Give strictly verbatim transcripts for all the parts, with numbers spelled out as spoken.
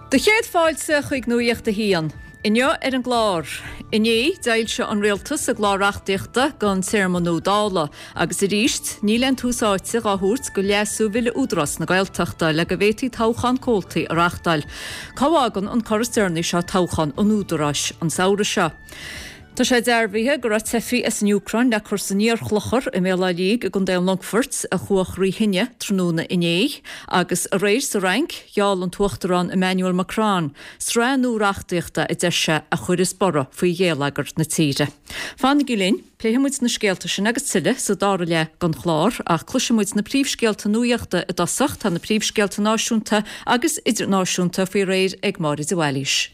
Do chéad fáilte chuig Nuacht a hAon. Inniu ar an gclár. Inné d'fhoilsigh an rialtas a gclár reachtaíochta don téarma nua Dála, agus arís níl aon tús áite á thabhairt do leasú Bhille Údarás na Gaeltachta le go bhféadfaí toghchán comhaltaí a reáchtáil. Cá bhfágann an cor is deireanaí seo toghchán an Údaráis an samhradh seo? Tá sé dearbhaithe go raibh teifigh as an Úcráin le cur san iarchlochar i mBéal Átha Liag i gContae an Longfoirt a chuach rí thine tráthnóna inné, agus aréir sa Fhrainc gheall an tUachtarán Emmanuel Macron sraith nua reachtaíochta a deir sé a chuirfeas borradh faoi gheilleagar na tíre. Fanaigí linn, pléifidh muid na scéalta sin agus tuilleadh sa dara leath den chlár, ach cloisfidh muid na príomhscéalta nuachta i dtosach, tá na príomhscéalta náisiúnta agus idirnáisiúnta faoi réir ag Máire de Bhailís.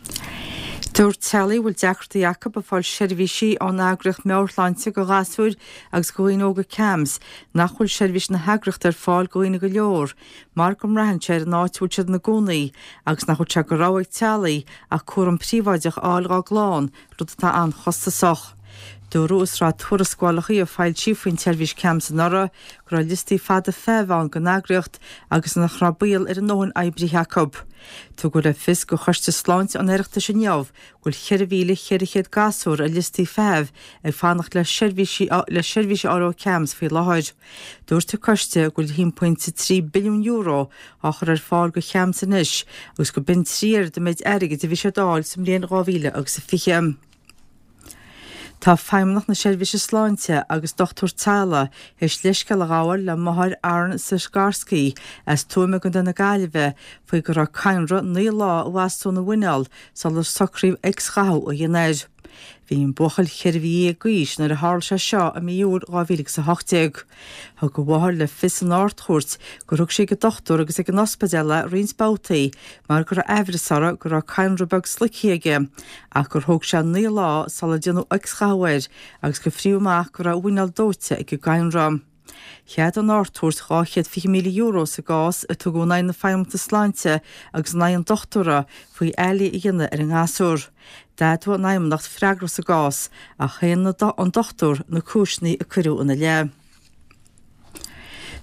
Dúirt teaghlaigh a bhfuil deacrachtaí acu ag fáil seirbhísí ón eagraíocht meabhairshláinte do ghasúir agus do dhaoine óga CAMHS nach bhfuil seirbhís na heagraíochta ar fáil do dhaoine go leor mar go mbraitheann sé ar an áit a bhfuil siad ina gcónaí agus nach bhfuil sé de rogha ag teaghlaigh ach cúram príobháideach a fháil dá gclann, rud atá an-chostasach. Dúradh i sraith tuarascálacha a foilsíodh faoin tseirbhís CAMHS anuraidh go raibh liostaí fada feithimh ann don eagraíocht agus nach raibh baol ar a ndóthain oibrithe acu. Tugadh le fios do Choiste Sláinte an Oireachtais inniu go bhfuil ceithre mhíle ceithre chéad gasúr ar liostaí feithimh ag fanacht le seirbhísí le seirbhís a fháil ó CAMHS faoi láthair. Dúirt an coiste go bhfuil a haon pointe trí billiún euro á chur ar fáil do CAMHS anois agus go b'in trí oiread an méid airgid a bhí siad a fháil sa mbliain dhá mhíle agus a fiche. Tá Feidhmeannacht na Seirbhíse Sláinte agus dochtúir teaghlaigh théis leithscéal a ghabháil le máthair Aaron Sisgarski as Tuaim i gContae na Gaillimhe faoi go raibh cadhnra naoi lá i bhfastún a mhuineál sular socraíodh X-ghathú a dhéanamh air. Bhí an buachaill ceithre mhí dhéag d'aois nuair a tharla sé seo i mí Iúil dhá mhíle agus a hocht déag. Thug a mháthair le fios san Ard-Chúirt gur thug sí ag an dochtúir agus ag an ospidéal é roinnt babhtaí mar go raibh aimhreas orthu go raibh cadhnra beag sloicthe aige ach gur thóg sé naoi lá sular déanadh X-ghathú air agus gur fríodh amach go raibh a mhuineál dóite ag an gcadhnra. Cheadaigh an Ard-Chúirt dhá chéad fiche míle euro sa gcás a tugadh in aghaidh na Feidhmeannachta Sláinte agus in aghaidh an dochtúra faoi fhaillí a dhéanamh ar an ngasúr. D'admhaigh an Fheidhmeannacht freagracht sa gcás ach shéan an dochtúir na cúiseanna a cuireadh ina leith.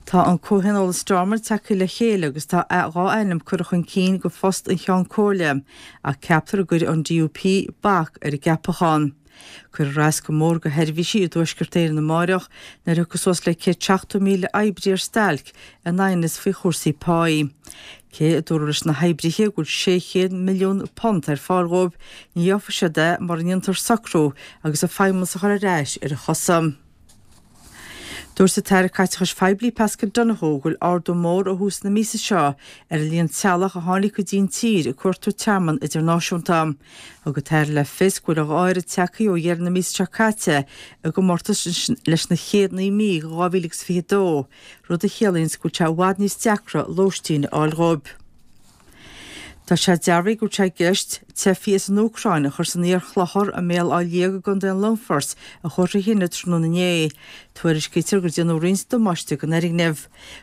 Tá an Comhthionól i Stormont tagtha le chéile agus tá dhá ainm curtha chun cinn do phost an Cheann Comhairle ach ceaptar go gcuirfidh an D U P bac ar an gceapachán. Cuirfear as go mór do sheirbhísí i dTuaisceart Éireann amárach nuair a thiocfaidh suas le céad seachtó míle oibrí ar stailc in aighneas faoi chúrsaí páí. Cé a dúradh leis na hoibrithe go bhfuil sé chéad milliún punt ar fáil dhóibh, ní gheobhaidh siad é mura ndéantar socrú agus an feidhmeannas a chur ar ais ar a chosa. Dúirt an tAire Caiteachais Phoiblí Paschal Donohoe go bhfuil ardú mór ó thús na míosa seo ar an líon teaghlach a tháinig go dtí an tír ag cuartú tearmann idirnáisiúnta. Thug an tAire le fios go bhfuil a dhá oiread tagtha ó dheireadh na míosa seo caite i gcomórtas leis na chéad naoi mí de dhá mhíle agus fiche a dó, rud a chiallaíonn go bhfuil sé i bhfad níos deacra lóistín a fháil dhóibh. Tá sé dearbhaithe go bhfuil sé i gceist teifigh as an Úcráin a chur san iarchlochar i mBéal Átha Liag i gContae an Longfoirt a chuaigh trí thine tráthnóna inné. Tuairiscítear gur déanadh roinnt damáiste don fhoirgneamh.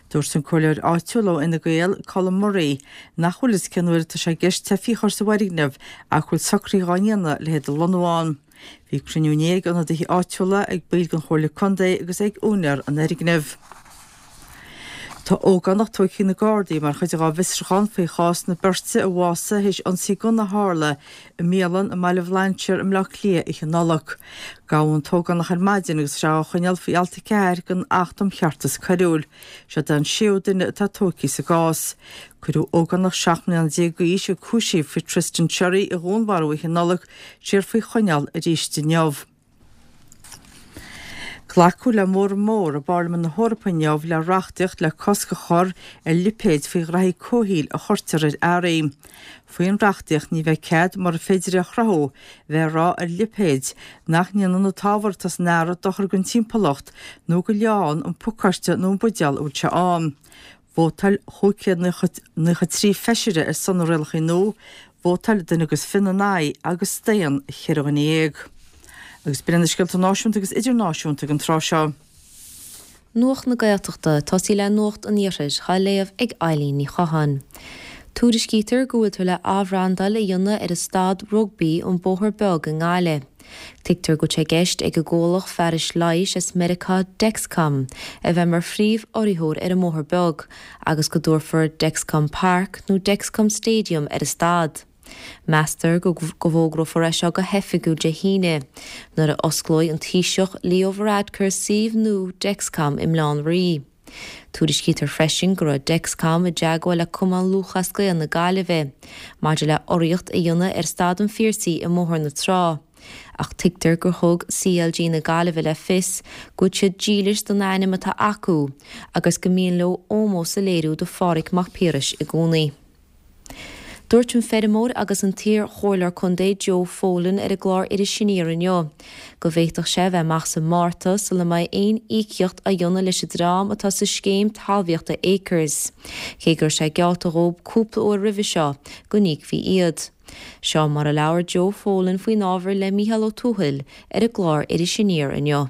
Dúirt an comhairleoir áitiúil ó Fhine Gael, Colm Murray, nach bhfuil fhios cén uair atá sé i gceist teifigh a chur sa bhfoirgneamh ach go bhfuil socruithe á ndéanamh le hiad a lonnú ann. Bhí cruinniú inné ag ionadaithe áitiúla, ag baill den Chomhairle Contae agus ag úinéir an fhoirgnimh. Tá ógánach tógtha ag na Gardaí mar chuid dá bhfiosrúchán faoi chás na beirte a bhásaigh théis ionsaí gunna a tharla i mbialann i mBaile Bhlainséir i mBleá Cliath oíche Nollag. Gabhadh an t-ógánach ar maidin agus tá sé á choinneáil faoi alt a ceathair den Acht um Cheartas Coiriúil. Seo é an séú duine atá tógtha sa gcás. Cuireadh ógánach seacht mbliana déag d'aois a cúisíodh faoi Tristan Sherry a dhúnmharú oíche Nollag siar faoi choinneáil arís inniu. Glacadh le móramh mór i bParlaimint na hEorpa inniu le reachtaíocht le cosc a chur ar lipéid faoi ghraithí comhshaoil a chuirtear ar earraí. Faoin reachtaíocht ní bheidh cead, mura féidir é a chruthú, bheith ag rá ar lipéid nach ndéanann an t-ábhar atá san earra dochar don timpeallacht nó go leánn an pacáiste nó an buidéal a bhfuil sé ann. Vótáil chúig chéad naocha trí feisire ar son na rialacha nua, vótáil duine agus fiche ina n-aghaidh agus staon cheithre dhuine dhéag. Agus b'in iad na scéalta náisiúnta agus idirnáisiúnta ag an tráth seo. Nuacht na Gaeltachta, tosaí le Nuacht an Iarthair, á léamh ag Eileen Ní Chatháin. Tuairiscítear go bhfuiltear le athbhrandáil a dhéanamh ar an staid rugbaí An Bóthar Beag i nGaillimh. Tuigtear go bhfuil sé i gceist ag an gcomhlacht fearais leighis as Meiriceá Dexcom a bheith mar phríomh-urraitheoir ar an mBóthar Beag agus go dtabharfar Dexcom Park nó Dexcom Stadium ar an staid. Meastar go bhfógrófar é seo go hoifigiúil Dé hAoine, nuair a osclóidh an Taoiseach Leo Varadkar suíomh nua Dexcom i mBaile Átha an Rí. Tuairiscítear freisin go raibh Dexcom i dteagmháil le Cumann Lúthchleas Gael na Gaillimhe maidir le urraíocht a dhéanamh ar Staid an Phiarsaigh i mBóthar na Trá. Ach tuigtear gur thug CLG na Gaillimhe le fios go bhfuil siad dílis don ainm atá acu agus go mian leo ómós a léiriú do Phádraig Mac Piarais i gcónaí. Dúirt an feirmeoir agus an t-iar-chomhairleoir contae Joe Folan ar an gclár Iris Aniar inniu go bhféadfadh sé bheith amach sa Márta sula mbeidh aon íocaíocht á dhéanamh leis an dream atá sa scéim talmhaíochta Acres, cé go raibh sé geallta dhóibh cúpla uair roimhe seo go n-íocfaí iad. Seo mar a labhair Joe Folan faoin ábhar le Mícheál Ó Tuathail ar an gclár Iris Aniar inniu.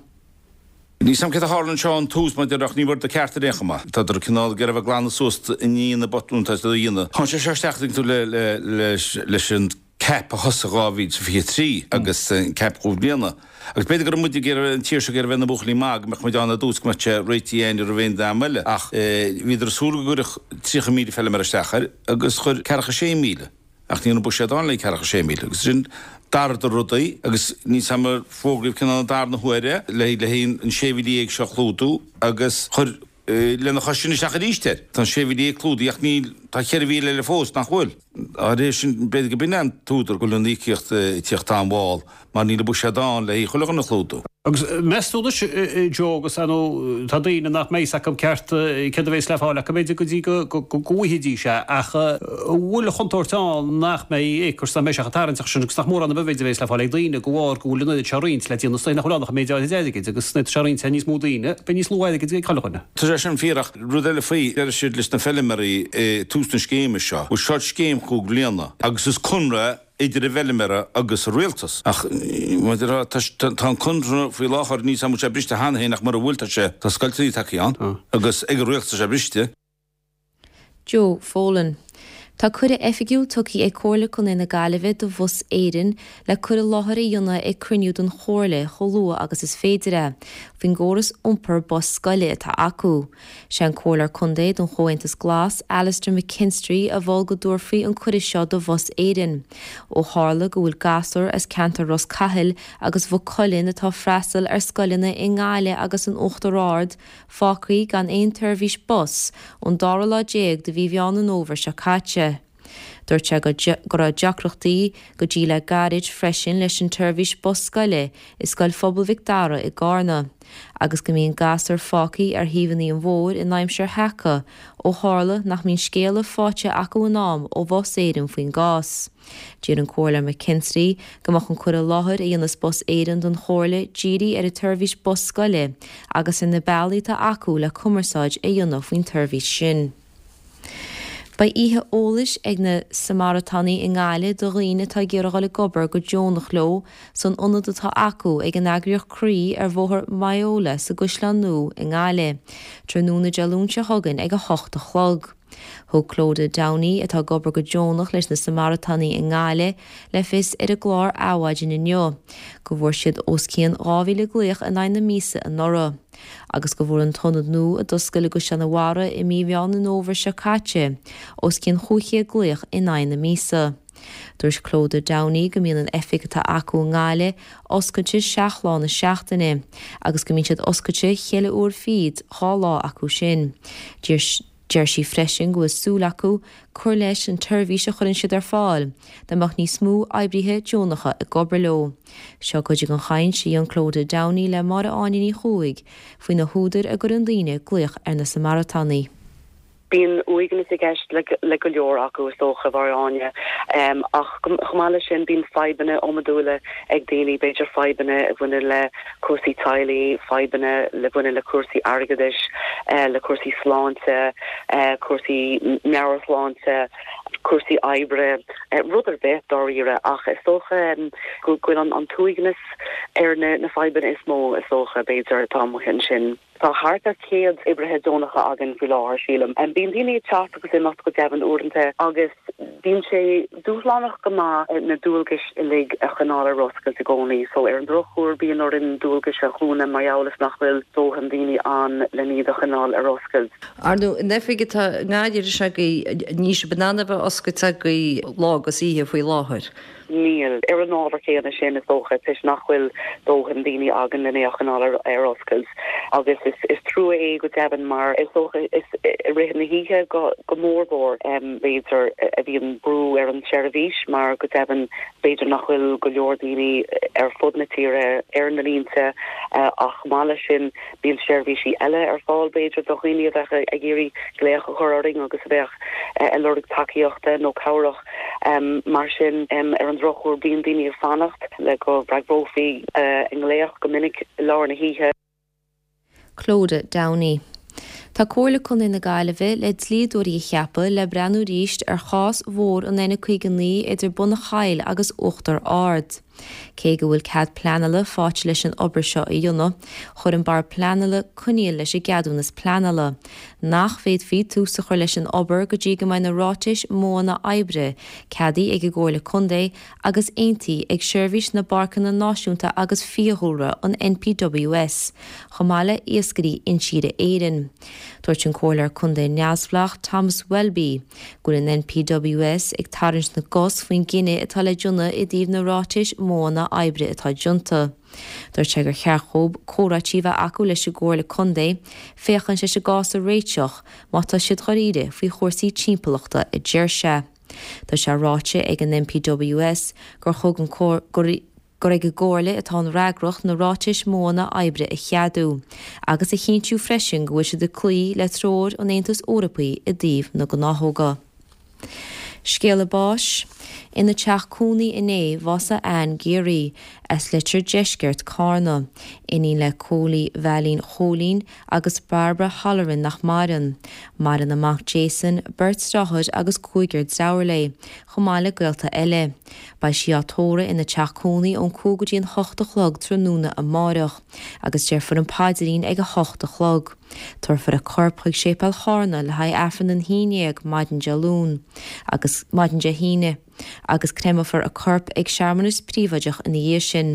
Níl 's a'm céard a tharla anseo ón tús maidir ach ní bhfuair do ceart ar aon chuma. Tádar cineál ag iarraidh a bheith ag glanadh suas i ndiaidh na botún atá siad a dhéanamh. Tháinig sé seo isteach tuigeann tú le le leis leis an cap a thosaigh dhá mhíle is fiche trí agus an cap cúig bliana. Agus b'fhéidir go raibh muid ag iarraidh an tír seo ag iarraidh bheith ina buachaillí maith go mbeadh muid ann ar dtús go mbeadh sé réitithe againn roimh aon dream eile. Ach bhíodar ag súil go gcuirfeadh tríocha míle feilméara isteach air agus chuir ceathracha sé míle. Ach ní raibh an buiséad ann le ceathracha sé míle agus sin d'athraíodar rudaí agus níl 's a'm ar fógraíodh cineál an darna huair é le le haghaidh an sé mhíle dhéag seo a chlúdú agus chuir lena chois sin isteach arís air. Tá an sé mhíle dhéag clúdaithe ach níl, tá ceithre mhíle eile fós nach bhfuil. Dá réir sin b'fhéidir go b'in é an t-údar go bhfuil an íocaíocht ag tíocht an-mhall mar níl an buiséad ann le haghaidh chuile dhuine a chlúdú. Agus meas tú anois, Joe, agus ar ndóigh tá daoine nach mbeidh 's acu ceart céard a bheas le fáil acu b'fhéidir go dtí go bhfaighidís é, ach an bhfuil an chontúirt ann nach mbeidh Acres, nach mbeidh sé chomh tarraingteach sin agus nach mórán b'fhéidir a bheas le fáil ag daoine de bharr go bhfuil an oiread seo á roinnt le déanamh is dóigh nach bhfuil ann ach an méid áirid airgid agus nuair atá sé á roinnt ar níos mó daoine, beidh níos lú airgid ag chuile dhuine. Tá sé sin fíor ach rud eile faoi, deir siad leis na feilméaraí i tús na scéime seo, bhuel seo scéim chúig bliana agus is conradh idir an bhfeilméara agus an rialtas. Ach maidir le, tá an conradh faoi láthair, níl 's a'm an bhfuil sé briste cheana féin ach mura bhfuil tá sé, tá scoilteanna tagtha ann agus ag an rialtas tá sé briste. Joe Folan. Tá cuireadh oifigiúil tugtha ag Comhairle Contae na Gaillimhe do Bhus Éireann le cur i láthair a dhéanamh ag cruinniú den Chomhairle chomh luath agus is féidir é, faoin gcóras iompair bus scoile atá acu. Sé an Comhairleoir Contae don Chomhaontas Glas, Alastair McKinstry, a mhol go dtabharfaí an cuireadh seo do Bhus Éireann, ó tharla go bhfuil gasúir as ceantar Ros Cathail agus Mhaigh Cuilinn atá ag freastal ar scoileanna i nGaillimh agus in Uachtar Ard fágtha gan aon tseirbhís bus ón dara lá déag de mhí Mheán an Fhómhair seo caite. Dúirt sé go raibh deacrachtaí go dtí le gairid freisin leis an tseirbhís bus scoile i Scoil Phobail Mhic Dara i gCarna, agus go mbíonn gasúir fágtha ar thaobhanna an bhóthair in aimsir sheaca ó tharla nach mbíonn scéala faighte acu in am ó Bhus Éireann faoin gcás. D'iarr an Comhairleoir McKinstry go mbeadh an cur i láthair a dhéanfas Bus Éireann don Chomhairle dírithe ar an tseirbhís bus scoile agus ar na bealaí atá acu le cumarsáid a dhéanamh faoin tseirbhís sin. Beidh oíche eolais ag na Samaritánaigh i nGaillimh do dhaoine atá ag iarraidh dul ag obair go deonach leo san ionad atá acu ag an eagraíocht Croí ar Bhóthar Moyola sa gCaisleán Nua i nGaillimh, tráthnóna Dé Luain seo chugainn ag a hocht a chlog. Thug Clodagh Downey, atá ag obair go deonach leis na Samaritánaigh i nGaillimh, le fios ar an gclár Adhmhaidin inniu go bhfuair siad os cionn dhá mhíle glaoch in aghaidh na míosa anuraidh. agus go bhfuair an t-ionad nua a d'oscail i gCaisleán an Bharraigh i mí Mheán an Fhómhair seo caite os cionn chúig chéad glaoch in aghaidh na míosa. Dúirt Clodagh Downey go mbíonn an oifig atá acu i nGaillimh oscailte seacht lá na seachtaine agus go mbíonn siad oscailte cheithre uair fichead dhá lá acu sin. Deir sí freisin go bhfuil súil acu cur leis an tseirbhís a chuireann siad ar fáil dá mbeadh níos mó oibrithe deonacha ag obair leo. Seo cuid den chaint a dhein Clodagh Downey le Máire Áine Ní Chuaig faoi na húdair a gcuireann daoine glaoch ar na Samaritánaigh. Bíonn uaigneas i gceist le go leor acu, is dócha, a Mháire Áine, ach chomh maith leis sin bíonn fadhbanna iomadúla ag daoine, b'fhéidir fadhbanna a bhaineann le cúrsaí teaghlaigh, fadhbanna le bhaineann le cúrsaí airgeadais, le cúrsaí sláinte, cúrsaí meabhairshláinte, cúrsaí oibre, rud ar bith dáiríre. Ach is dócha go bhfuil an t-uaigneas ar na fadhbanna is mó, is dócha, b'fhéidir, atá amuigh ansin. Tá thart ar céad oibrithe deonacha againn faoi láthair sílim. Um, bíonn daoine ag teacht agus imeacht go deimhin uaireanta agus bíonn sé dúshlánach go maith na dualgais uilig a choinneáil ar oscailt i gcónaí, so ar an drochuair bíonn orainn dualgais a dhúnadh mar gheall is nach bhfuil dóthain daoine ann le iad a choinneáil ar oscailt. Ar ndóigh, an oifig atá i nGaillimh agaibh, níl sibh in ann a bheith oscailte agaibh lá agus oíche faoi láthair. Níl. Ar an ábhar céanna sin is dócha toisc nach bhfuil dóthain daoine againn lena a choinneáil ar oscailt agus is, is trua é go deimhin mar is dócha is i rith na hoíche go, go mórmhór um, b'fhéidir a bhíonn brú ar an seirbhís mar go deimhin b'fhéidir nach bhfuil go leor daoine ar fud na tíre ar na línte uh, ach maille sin bíonn seirbhísí eile ar fáil b'fhéidir do dhaoine a bheadh ag iarraidh glaoch a chur orainn agus a bheadh uh, ag lorg tacaíochta nó cabhrach um, mar sin um, ar an drochuair bíonn daoine ag fanacht le go bhfreagrófaí uh, a nglaoch go minic i lár na hoíche. Clodagh Downey. Tá Comhairle Contae na Gaillimhe le dlíodóirí a cheapadh le breathnú arís ar chás mhór an N caoga naoi idir Bun an Chaill agus Uachtar Ard. Cé go bhfuil cead pleanála faighte leis an obair seo a dhéanamh, chuir an Bord Pleanála coinníoll leis an gceadúnas pleanála, nach bhféadfaí tús a chur leis an obair go dtí go mbeidh na ráitis modhanna oibre ceadaithe ag an gComhairle Contae agus aontaithe ag Seirbhís na bPáirceanna Náisiúnta agus Fiadhúlra, an NPWS, chomh maith le Iascairí Intíre Éireann. Dúirt an Comhairleoir Contae Neamhspleách Thomas Welby go bhfuil an NPWS ag tarraingt na gcos faoin gcinneadh atá le déanamh i dtaobh na ráitis modhanna oibre atá déanta. Dúirt sé gur cheart dóibh comhráití a bheith acu leis an gComhairle Contae féachaint leis an gcás a réiteach má tá siad dáiríre faoi chúrsaí timpeallachta a deir sé. Tá sé ráite ag an NPWS gur thug an gur gur ag an gComhairle atá an fhreagracht na ráitis modhanna oibre a cheadú, agus a chinntiú freisin go bhfuil siad ag cloí le treoir an Aontais Eorpaigh i dtaobh na gnáthóga. Scéala báis. Ina teach cónaí inné bhásaigh Ann Geary as Leitir Deiscirt, Carna, iníon le Cóilí Mheailín Chóilín agus Barbara Holleran nach maireann. Maireann a mac Jason, beirt deartháir agus cúigear deartháir léi, chomh maith le gaolta eile. Beidh sí á tórramh ina teach cónaí ón cúig go dtí an hocht a chlog tráthnóna amárach, agus déarfar an paidrín ag a hocht a chlog. Tabharfar a corp chuig Séipéal Charna le haghaidh Aifreann an haon déag maidin Dé Luain agus maidin Dé hAoine, agus créamfar a corp ag searmanas príobháideach ina dhiaidh sin.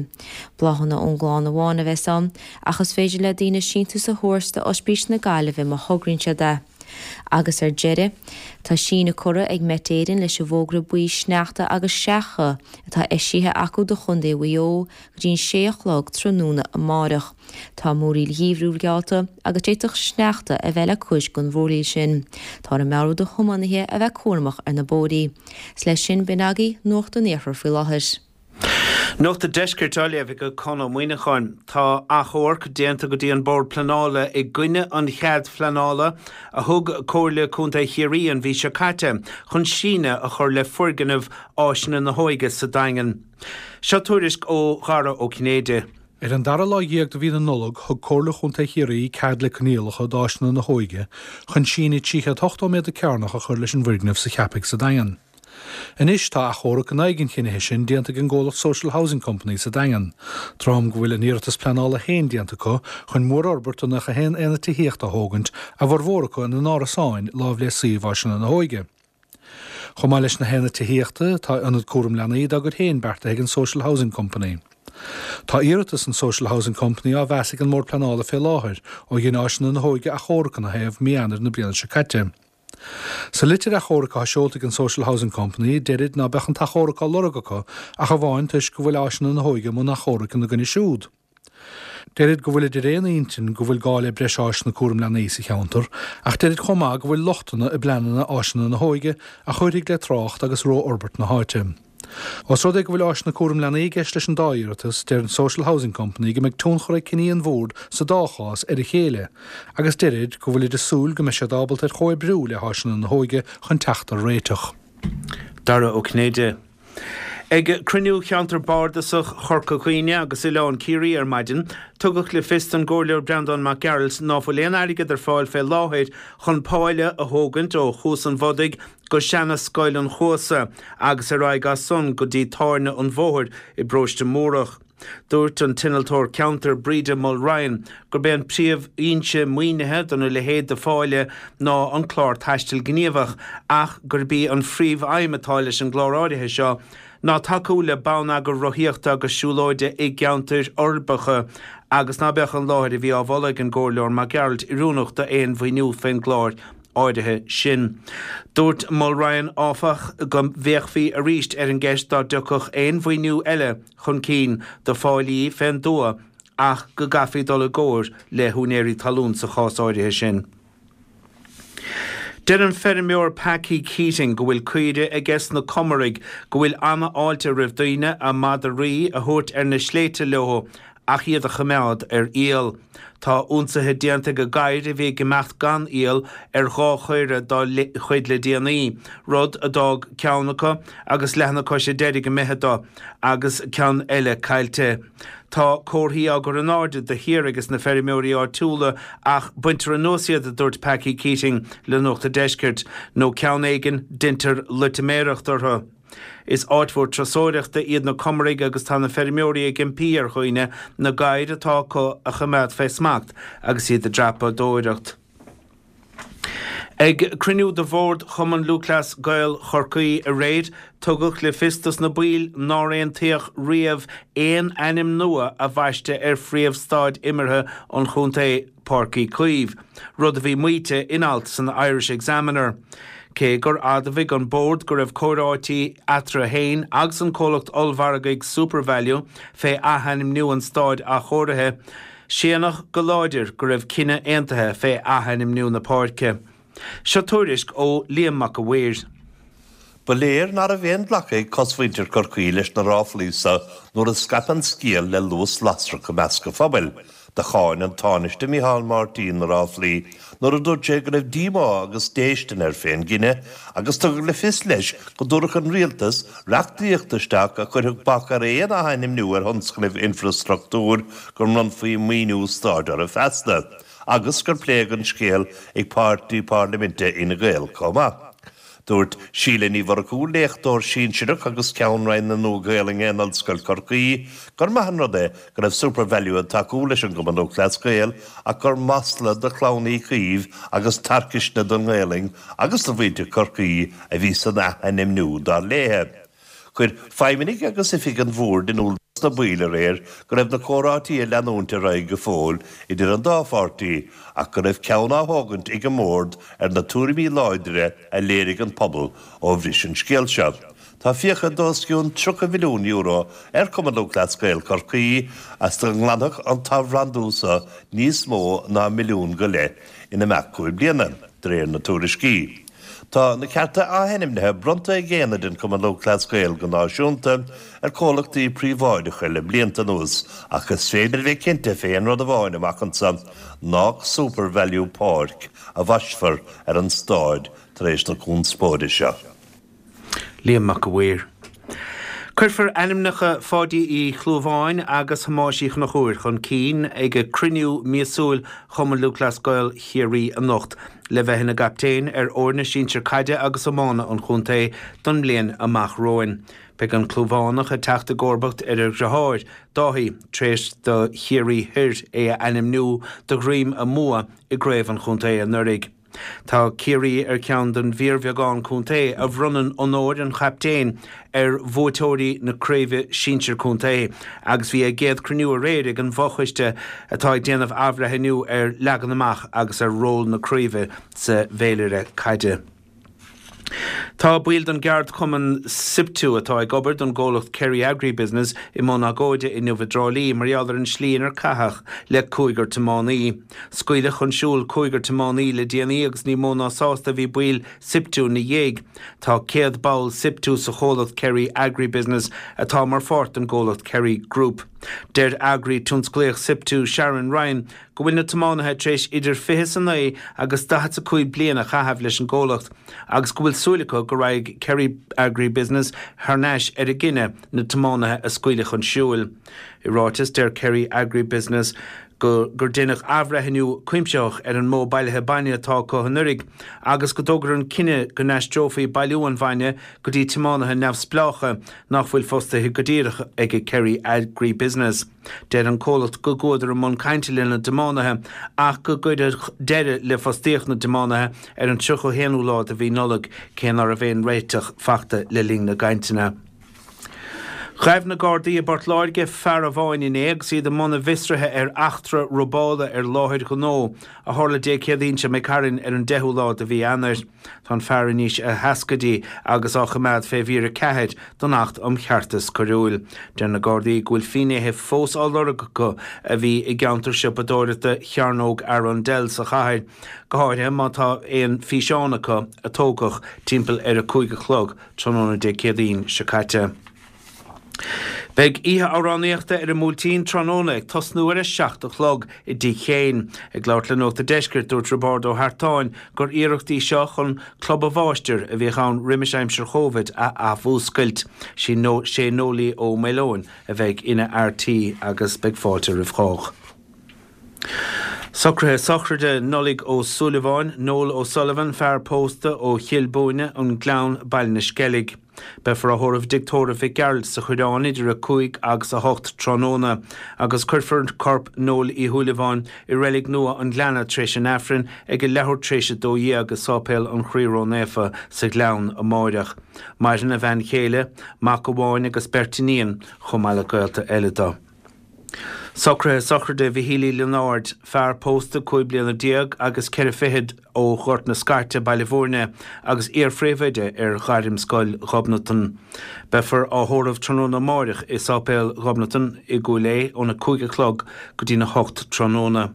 Bláthanna ón gclann amháin a bheas ann, ach is féidir le daoine síntiús a thabhairt d'Ospís na Gaillimhe má thograíonn siad é. Agus ar deireadh, tá síneadh curtha ag Met Éireann leis an bhfógra buí sneachta agus seacha atá eisithe acu do Chontae Mhaigh Eo go dtí an sé a chlog tráthnóna amárach. Tá múraíl gheimhriúil geallta agus d'fhéadfadh sneachta a bheith le cuid den mhúraíl sin. Táthar ag meabhrú do thiománaithe a bheith cúramach ar na bóithrí. Is leis sin b'in agaibh Nuacht an Iarthair faoi láthair. Nuacht an Deiscirt á léamh ag Conn Ó Muíneacháin. Tá achomharc déanta go dtí an Bord Pleanála i gcoinne an chead phleanála a thug Comhairle Contae Chiarraí an mhí seo caite chun síneadh a chur le foirgneamh Áiseanna na hÓige sa Daingean. Seo tuairisc ó Dhara Ó Cinnéide. Ar an dara lá dhéag de mhí na Nollag, thug Comhairle Chontae Chiarraí cead le coinníollacha d'Áiseanna na hÓige chun síneadh trí chéad ochtó méadar cearnach a chur leis an bhfoirgneamh sa Cheapaigh sa Daingean. Anois tá achomharc in aghaidh an chinnithe sin déanta ag an gcomhlacht Social Housing Company sa Daingean, dream go bhfuil a n-iarratas pleanála féin déanta acu chun mórfhorbairt de nócha a haon aonad tithíochta a thógaint, a bhformhór acu ina n-árasáin láimh le suíomh Áiseanna na hÓige. Chomh maith leis na haonaid tithíochta, tá ionad cúram leanaí dá gcuid féin beartaithe ag an Social Housing Company. Tá iarratas an Social Housing Company á mheas ag an mBord Pleanála fé láthair ó dhein Áiseanna na hÓige achomharc ina thaobh mí Eanáir na bliana seo caite. Sa litir achomhairc atá seolta ag an Social Housing Company, deirid ná beadh an t-achomharc á lorg acu ach amháin toisc go bhfuil Áiseanna na hÓige i mbun achomhairc ina gcoinne siúd. Deirid go bhfuilid ar aon intinn go bhfuil gá le breis áiseanna cúram leanaí sa cheantar, ach deirid chomh maith go bhfuil lochtanna i bpleananna Áiseanna na hÓige a chuirfidh le trácht agus rófhorbairt na háite. Ós rud é go bhfuil áiseanna cúram leanaí i gceist leis an dá iarratas, deir an Social Housing Company go mbeidh tionchar ag cinní an Bhoird sa dá chás ar a chéile, agus deirid go bhfuilid ag súil go mbeidh siad ábalta ar chomhoibriú le hÁiseanna na hÓige chun teacht ar réiteach. Dara Ó Cinnéide. Ag cruinniú Cheantar Bardasach Chorca Dhuibhne agus Oileán Ciarraí ar maidin, tugadh le fios don gComhairleoir Breandán Mac Gearailt ná fuil aon airgead ar fáil fé láthair chun páile a thógaint ó Chuas an Bhodaigh go seana-Scoil an Chuasa agus ar aghaidh as san go dtí tábhairne an Bhóthair i bParóiste Múrach. Dúirt an t-innealtóir ceantair Breda Mulryan gurb é an príomhfhoinse maoinithe dona leithéid de pháille ná an clár Taisteal Gníomhach ach gurb í an phríomhaidhm atá leis an gclár áirithe seo ná tacú le bonneagar rothaíochta agus siúlóide i gceantair uirbeacha agus ná beadh an láthair a bhí á mholadh ag an gComhairleoir Mac Gearailt oiriúnach d'aon mhaoiniú fén gclár áirithe sin. Dúirt Mulryan áfach go bhféachfaí arís ar an gceist dá dtiocfadh aon mhaoiniú eile chun cinn do pháillí fén dtuath ach go gcaithfí dul i gcomhar le húinéirí talún sa chás áirithe sin. Deir an feirmeoir Packie Keating go bhfuil caoire aige sna Comaraigh go bhfuil an-fháilte roimh daoine a madraí a thabhairt ar na sléibhte leo ach iad a choimeád ar iall. Tá ionsaithe déanta ag gadhair a bhí ag imeacht gan iall ar dhá chaora dá chuid le déanaí, rud a d'fhág ceann acu agus leath na coise deiridh imithe dó agus ceann eile caillte. Tá comharthaí á gcur in airde de shíor ages na feirmeoirí áitiúla ach baintear anuas iad, a dúirt Packie Keating le Nuacht a' Deiscirt, nó ceann éigin deintear loitiméireacht orthu. Is áit mhór turasóireachta iad na Comaraigh agus tá na feirmeoirí ag impí ar dhaoine na gadhair atá acu a choimeád fé smacht agus iad ag dreapadóireacht. Ag cruinniú de bhord Chumann Lúthchleas Gael Chorcaí aréir, tugadh le fios dos na baill nár aontaíodh riamh aon ainm nua a bhaisteadh ar phríomh-staid imeartha an chontae, Páirc Uí Chaoimh, rud a bhí maíte in alt san Irish Examiner. Cé gur admhaigh an Bord go raibh comhráití eatarthu féin agus an comhlacht ollmhargaidh SuperValu fé athainmniú an staid athchóirithe, séanadh go láidir go raibh cinneadh aontaithe fé athainmniú na páirce. Seo tuairisc ó Liam Mac a' Mhaoir. Ba léir ná raibh aon ghlacadh ag cosmhuintir Chorcaí leis na ráflaí so nuair a scaip an scéal le luas lasrach i measc an phobail. Do cháin an Tánaiste Micheál Martin na ráflaí nuair a dúirt sé go raibh díomá agus déistin air fén gcinneadh agus tugadh le fios leis go dtabharfadh an Rialtas reachtaíocht isteach a chuirfeadh bac ar aon athainmniú ar thionscnaimh infreastruchtúir go mbronnfaí maoiniú stáit orthu feasta agus gur pléadh an scéal ag páirtí parlaiminte Fhine Gael chomh maith. Dúirt Síle Ní Mhurchú, léachtóir sinsearach agus Ceann Roinn na Nua-Ghaelainne in Ollscoil Chorcaí, gur maith an rud é go raibh SuperValu ag tacú leis an gCumann Lúthchleas Gael ach gur masla do chlann Uí Chaoimh agus tarcaisne don nGaelainn agus do mhuintir Chorcaí a bhí san athainmniú, dar léi. Chuir feidhmeannaigh agus oifigigh an Bhoird in iúl dos na baill aréir go raibh na comhráití ag leanúint ar aghaidh go fóill idir an dá pháirtí ach go raibh ceann á thógaint ag an mBord ar na tuairimí láidre a léirigh an pobal ó bhris an scéal seo. Tá fiacha d'os cionn tríocha mhilliún euro ar Chumann Lúthchleas Gael Chorcaí as dá nglanfadh an t-athbhrandú seo níos mó ná milliún go leith in imeacht cúig bliana, de réir na tuairiscí. Tá na cearta athainmnithe bronnta ag aonaid an Chumainn Lúthchleas Gael go náisiúnta ar chomhlachtaí príobháideacha le blianta anuas ach is féidir a bheith cinnte fé aon rud amháin amach anso, nách SuperValu Páirc a bhaistfear ar an stáid tar éis na conspóide seo. Liam Mac a' Mhaoir. Cuirfear ainmneacha Pháidí Uí Chlúmháin agus Thomáis Uí Chonchúir chun cinn ag cruinniú míosúil Chumann Lúthchleas Gael Chiarraí anocht le bheith ina gcaptaein ar fhoirne sinsir caide agus iomána an chontae don mbliain amach romhainn. Beidh an Clúmhánach ag teacht i gcomharbacht ar a dheartháir, Dáithí, tar éis do Chiarraí Thoir é a ainmniú de dhroim a mbua i gcraobh an chontae anuraidh. Tá Ciarraí ar cheann den bhfíorbheagán contae a bhronnann onóir an chaptaein ar bhuaiteoirí na craoibhe sinsir contae agus bhí a gcéad cruinniú aréir ag an bhfochoiste atá ag déanamh athbhreithniú ar leagan amach agus ar ról na craoibhe sa bhféilire caide. Tá baill den gceardchumann Siptu atá ag obair don gcomhlacht Kerry Agribusiness i mbun agóide inniu i dTrá Lí mar gheall ar an slí inar caitheadh le cúigear tiománaí. Scaoileadh chun siúil cúigear tiománaí le déanaí agus ní mó ná sásta a bhí baill Siptu ina dhiaidh. Tá céad ball Siptu sa chomhlacht Kerry Agribusiness atá mar pháirt den gcomhlacht Kerry Group. Deir eagraí tionsclaíoch Siptu Sharon Ryan go bhfuil na tiománaithe tar éis idir fiche is a naoi agus daichead is a cúig bliain a chaitheamh leis an gcomhlacht agus go bhfuil súil acu go raghaidh Kerry Agribusiness thar n-ais ar a gcinneadh na tiománaithe a scaoileadh chun siúil. I ráiteas, deir Kerry Agribusiness go gur deineadh athbhreithniú cuimsitheach ar an modh bailithe bainne atá acu anuraidh agus go dtógadar an cinneadh go n-aistreofaí bailiú an bhainne go dtí tiománaithe neamhspleácha nach bhfuil fostaithe go díreach ag Kerry Agribusiness. Deir an comhlacht go gcuadar i mbun cainte lena dtiománaithe ach go gcuireadh deireadh le fostaíocht na dtiománaithe ar an tríocha a haonú lá de mhí Nollag, cé ná raibh aon réiteach fachta le linn na gcainteanna. Ghaibh na Gardaí i bPort Láirge fear amháin inné agus iad i mbun a bhfiosraithe ar eachtra robála ar láthair ghnó a tharla Dé Céadaoin seo imigh tharainn ar an deichiú lá de mhí Eanáir. Tá an fear anois sna seascaidí agus á choimeád fé mhír a ceathair den Acht um Cheartas Coiriúil. Deir na Gardaí go bhfuil finnéithe fós á lorg acu a bhí i gceantar siopadóireachta Chearnóg Arundel sa chathair, go háirithe má tá aon físeán acu a tógadh timpeall ar a cúig a chlog tráthnóna Dé Céadaoin seo caite. Beidh oíche amhránaíochta ar an mBuailtín tráthnóna ag tosnú ar a seacht a chlog i dTigh Chéin. Ag labhairt le Nuacht a' Deiscirt, dúirt Roibeárd Ó hEartáin gur iarracht í seo chun Club a' Mháistir, a bhíodh ann roimis aimsir Chóivid, a athmhúscailt. Sé Noelie Ó Maoileoin a bheidh ina fhear tí agus beidh fáilte roimh chách. Socruithe sochraide Nollaig Ó Súilleabháin, Noel O'Sullivan, fear pósta ó Chill Búinne, An Gleann, Baile na Sceilg. Beifear á thórramh i dTigh Tórraimh Mhic Gearailt sa Choireán idir a cúig agus a hocht tráthnóna agus cuirfear corp Noel Uí Shúilleabháin i Reilig Nua an Ghleanna tar éis an Aifrinn ag a leathuair tar éis a dó dhéag i Sáipéal an Chroí Ró-Naofa sa Ghleann amáireach. Maireann a bhean chéile, mac amháin agus beirt iníon chomh maith le gaolta eile dó. Socruithe sochraide Mhichíl Uí Lionáird, fear pósta cúig bliana déag agus ceithre fichid ó Ghort na Scairte, Baile Bhúirne, agus iar-phríomhoide ar Ghairmscoil Ghobnatan. Beifear á thórramh tráthnóna amáireach i Sáipéal Ghobnatan i gCúil Aodha óna cúig a chlog go dtína hocht tráthnóna.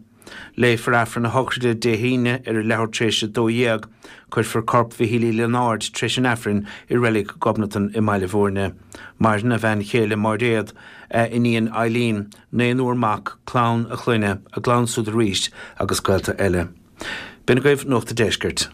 Léifear Aifreann a shochraide Dé hAoine ar a leathuair tar éis a dó dhéag. Cuirfear corp Mhichíl Uí Lionáird tar éis an Aifrinn i Reilig Ghobnatan i mBaile Bhúirne. Maireann a bhean chéile Máiréad, a iníon Eileen, naonúr mac, clann a chlainne, a gclann siúd arís agus gaolta eile. B'in agaibh Nuacht a' Deiscirt.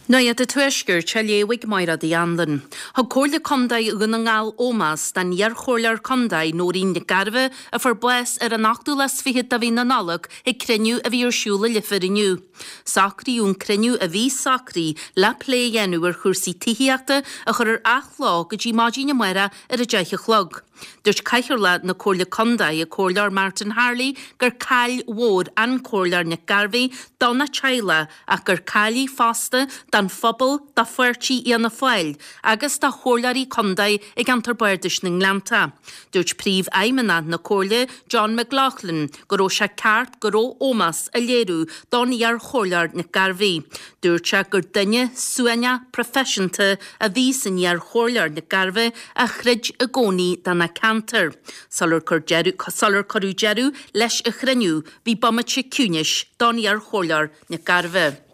Nuacht an Tuaiscirt á léamh ag Máire Uí Anluain. Thug Comhairle Contae Dhún na nGall ómós don iarchomhairleoir contae Nóirín Nic Gairbheith a fuair bás ar an ochtú lá is fichead de mhí na Nollag ag cruinniú a bhí ar siúl i Leifear inniu. Socraíodh an cruinniú a bhí socraithe le plé a dhéanamh ar chúrsaí tithíochta a chur ar athló go dtí maidin amárach ar a deich a chlog. Dúirt Cathaoirleach na Comhairle Contae, an Comhairleoir Martin Harley, gur caill mhór an Comhairleoir Nic Gairbheith dona teaghlach ach gur caill í fosta don phobal, do pháirtí Fhianna Fáil agus do chomhairleoirí contae i gceantar bardais na nGleannta. Dúirt Príomhfheidhmeannach na Comhairle, John McLaughlin, go raibh sé ceart go raibh ómós á léiriú don iar-chomhairleoir Nic Gairbheith. Dúirt sé gur duine suaimhneach proifisiúnta a bhí san iar-chomhairleoir Nic Gairbheith a chreid i gcónaí dona ceantar. Sular sular cuireadh deireadh leis an chruinniú, bhí bomaite ciúnais don iar-chomhairleoir Nic Gairbheith.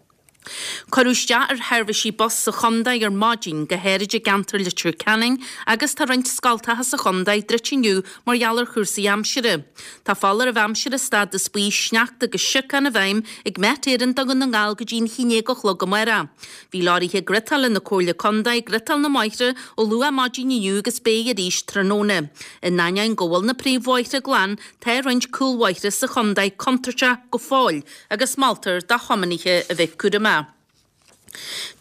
Cuireadh isteach ar sheirbhísí bus sa chontae ar maidin, go háirid i gceantar Leitir Ceanainn, agus tá roinnt scoltacha sa chontae druidte inniu mar gheall ar chúrsaí aimsire. Tá foláireamh aimsire stádas buí sneachta agus siocán i bhfeidhm ag Met Éireann do Dhún na nGall go dtí an haon déag a chlog amárach. Bhí leoraithe griotála na Comhairle Contae ag griotáil na mbóithre ó luath maidin inniu agus beidh arís tráthnóna. In ainneoin go bhfuil na príomhbhóithre glan, tá roinnt cúlbhóithre sa chontae contúirteach go fóill agus moltar do thiománaithe a bheith cúramach.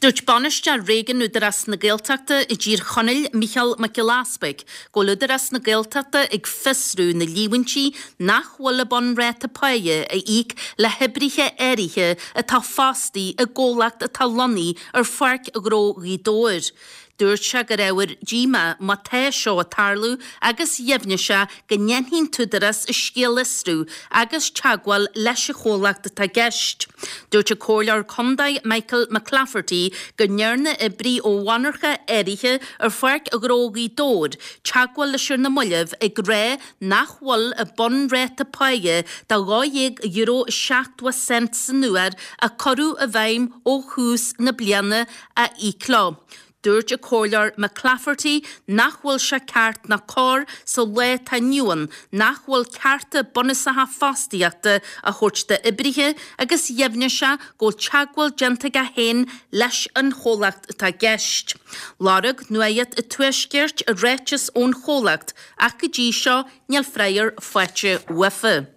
Dúirt bainisteoir Réigiún Údarás na Gaeltachta i dTír Chonaill, Mícheál Mac Giolla Easpaig, go bhfuil Údarás na Gaeltachta ag fiosrú na líomhaintí nach bhfuil a bunráta páighe a íoc le hoibrithe áirithe atá fostaí i gcomhlacht atá lonnaithe ar Pháirc Ghnó Ghaoth Dobhair. Dúirt sé gur ábhar díomá má tá seo ag tarlú agus dheimhnigh sé go ndéanfaidh an tÚdarás an scéal a fhiosrú agus teagmháil leis an chomhlacht atá i gceist. Dúirt an Comhairleoir Contae Michael McClafferty go ndearna oibrí ó mhonarcha áirithe ar Pháirc Ghnó Ghaoth Dobhair teagmháil leis ar na mallaibh ag rá nach bhfuil a bunráta páighe de dhá dhéag euro is seachtó cent san uair a cuireadh i bhfeidhm ó thús na bliana á íoc leo. Dúirt an Comhairleoir McClafferty nach bhfuil sé ceart ná cóir sa lá atá inniu ann nach bhfuil cearta bunúsacha fostaíochta á thabhairt d'oibrithe agus dheimhnigh sé go bhfuil teagmháil déanta aige féin leis an chomhlacht atá i gceist. Lorg Nuacht an Tuaiscirt ráiteas ón chomhlacht ach go dtí seo níl freagra faighte uafa.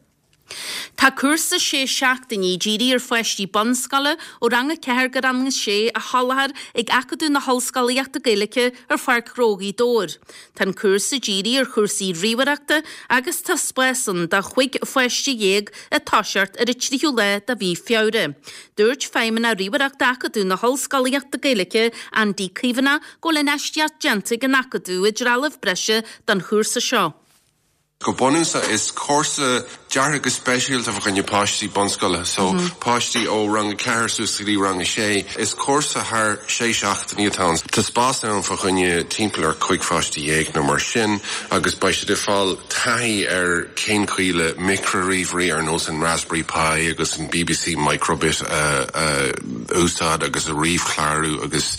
Tá cúrsa sé seachtainí dírithe ar pháistí bunscoile ó rang a ceathair go rang a sé á sholáthar ag Acadamh na hOllscolaíochta Gaeilge ar Pháirc Ghnó Ghaoth Dobhair. Tá an cúrsa dírithe ar chúrsaí ríomhaireachta agus tá spás ann do chúig pháiste dhéag ag toiseacht ar an tríú lá de mhí Feabhra. Dúirt Feidhmeannach Ríomhaireachta Acadamh na hOllscolaíochta Gaeilge, Andy Caomhánach, go bhfuil infheistíocht déanta ag an Acadamh i dtrealamh breise don chúrsa seo. Go bunúsach is cúrsa deartha go speisialta fá choinne páistí bunscoile, so páistí ó rang a ceathair suas go dtí rang a sé. Is cúrsa thar sé seachtainí atá ann. Tá spás ann fá choinne timpeall ar cúig pháiste dhéag nó mar sin agus beidh siad ag fáil taithí ar cén chaoi le micrea-ríomhairí ar nós an Raspberry Pi agus an BBC Microbit a a úsáid agus a ríomhchlárú agus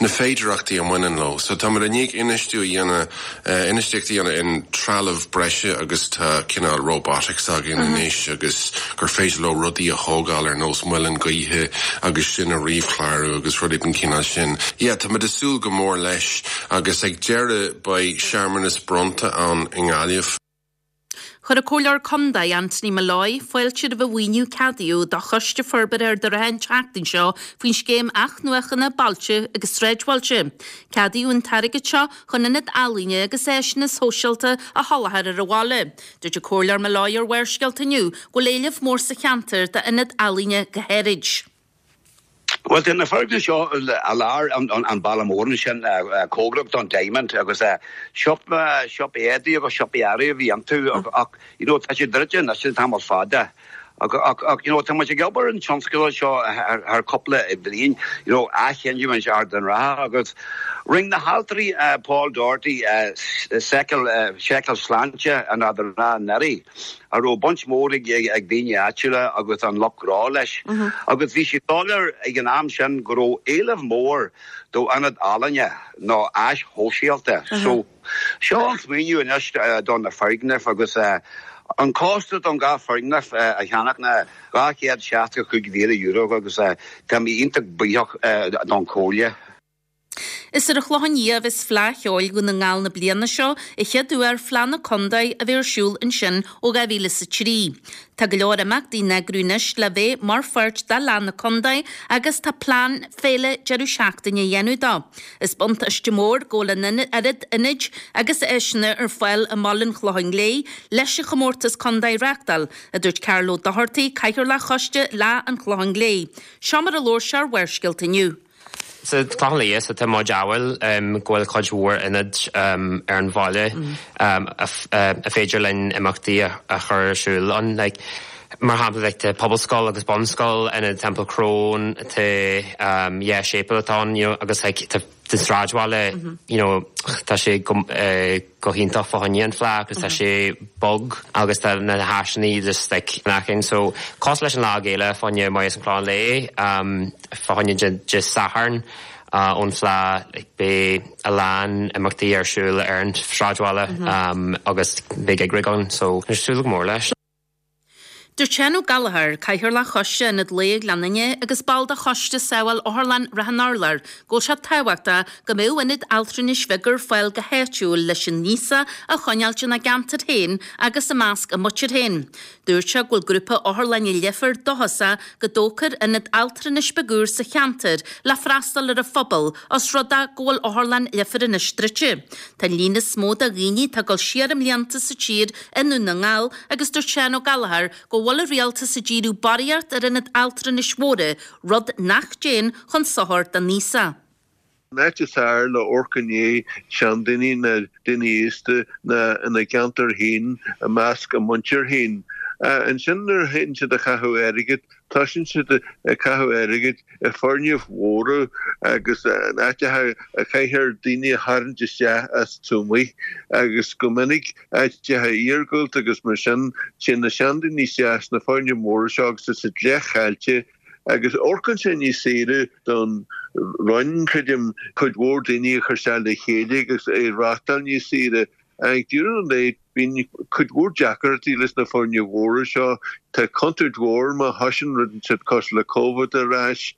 na féidearthachtaí a mbaineann leo. So táimid i ndiaidh infheistiú a dhéanamh infheistíocht a dhéanamh in trealamh breise agus tá cineál robotics againn anois agus gur féidir leo rudaí a thógáil ar nós muileann gaoithe agus sin a ríomhchlárú agus rudaí den chineál sin. Yeah, táimid ag súil go mór leis agus ag deireadh beidh searmanas bronnta ann i nGaillimh. Chuir an Comhairleoir Contae Anthony Molloy fáilte roimh an mhaoiniú a ceadaíodh do Choiste Forbartha Ard an Rátha an tseachtain seo faoin scéim athnuachana bailte agus sráidbhailte. Ceadaíodh an t-airgead seo chun ionad ealaíne agus áiseanna sóisialta a sholáthar ar an bhaile. Dúirt an Comhairleoir Molloy ar Bharrscéalta inniu go bhfuil éileamh mór sa cheantar d'ionad ealaíne go háirid. Well tá na foirgnimh seo i lár an bhaile mór ansin cóngarach don Diamond agus siopa siopa éadaí agus siopa earraí a bhí iontu ach you know tá sé druidte anois le tamall fada. Ach ach you know tá muid ag obair an tionscadal seo thar cúpla bliain you know athghiniúint Ard an Rátha agus rinne na haltraí Paul Doherty seiceáil seiceáil sláinte an Ard an Rátha anuraidh. a raibh baint mhór ag ag daoine áitiúla agus an lucht gnó leis. Agus bhí sé soiléir ag an am sin go raibh éileamh mór do ionad ealaíne nó áis shóisialta. So seo an smaoineamh anois do na foirgnimh agus an costas don dhá foirgneamh a cheannach ná dhá chéad seasca cúig mhíle euro agus tá mé iontach buíoch don Chomhairle. Is ar an Chlochán Liath a bheas Fleadh Cheoil Dhún na nGall na bliana seo, an chéad uair Fleadh na Contae a bheith ar siúl ansin ó dhá mhíle is a trí. Tá go leor imeachtaí á n-eagrú anois le bheith mar pháirt de Fhleadh na Contae agus tá plean féile deireadh seachtaine á dhéanamh dó. Is buntáiste mór go bhfuil an oiread ionaid agus áiseanna ar fáil i mbaile an Chlocháin Léith leis an chomórtas contae a reáchtáil, a dúirt Carl Ó Dochartaigh, Cathaoirleach Choiste Fhleadh an Chlocháin Léith. Seo mar a labhair sé ar Bharrscéalta inniu. Sa Chlochán Liath so tá muid ádhúil go bhfuil cuid mhór ionaid ar an bhaile a féidir linn imeachtaí a chur ar siúl ann. Like, mar shampla like, tá pobalscoil agus bunscoil ionad Temple Crone tá dhá séipéal atá ann you know, agus like, tá den sráidbhaile you know, tá sé go, uh, go hiontach fá choinne an Fleadh agus tá sé bog agus tá na háiseanna just like nachin so cosúil leis an Lá Géile fá choinne Maigh an Chlocháin Léith um, fá choinne Dé Sathairn uh, ón Fleadh like, beidh a lán imeachtaí ar siúl ar an sráidbhaile um, agus beidh ag ann so súil go mór leis. Dúirt Seán Ó Gallchóir, Cathaoirleach Choiste Ionad Lae Ghleann Fhinne agus ball de Choiste Sábháil Otharlann Ráth an Urláir, go bhfuil sé tábhachtach go mbeadh ionad altranais bheag ar fáil go háitiúil leis an aosach a choinneáilt ina gceantar féin agus i measc a muintir féin. Dúirt sé go bhfuil grúpa otharlainne Leifear dóchasach go dtógfar ionad altranais beag úr sa cheantar le freastal ar an phobal os rud é go bhfuil otharlann Leifear anois druidte. Tá an líon is mó de dhaoine atá ag dul siar i mblianta sa tír i nDún na nGall agus dúirt Seán Ó Gallchóir go bhfuil an rialtas ag díriú barraíocht ar ionaid altranais mhóra, rud nach dtéann chun sochair don aosach. An áit is fearr le amharc i ndiaidh seandaoine ná daoine aosta ná ina gceantar féin i measc a muintir féin. Ansin nuair a théann siad a chaitheamh airgid, tosaíonn siad ag caitheamh airgid i foirgnimh mhóra agus in áiteacha a chaithfear daoine a tharraingt isteach as tuamaí agus go minic áiteacha iargúlta agus mar sin, téann na seandaoine isteach sna foirgnimh mhóra seo agus tá siad leathchaillte agus amharcann sé níos saoire don Roinn, creidim, cuid mhór daoine a chur isteach le chéile agus é a reáchtáil níos saoire. Ag deireadh an lae, bíonn cuid mhór deacrachtaí leis na foirgnimh mhóra seo. Tá contúirt mhór má thosaíonn rud inteacht cosúil le Covid ar ais.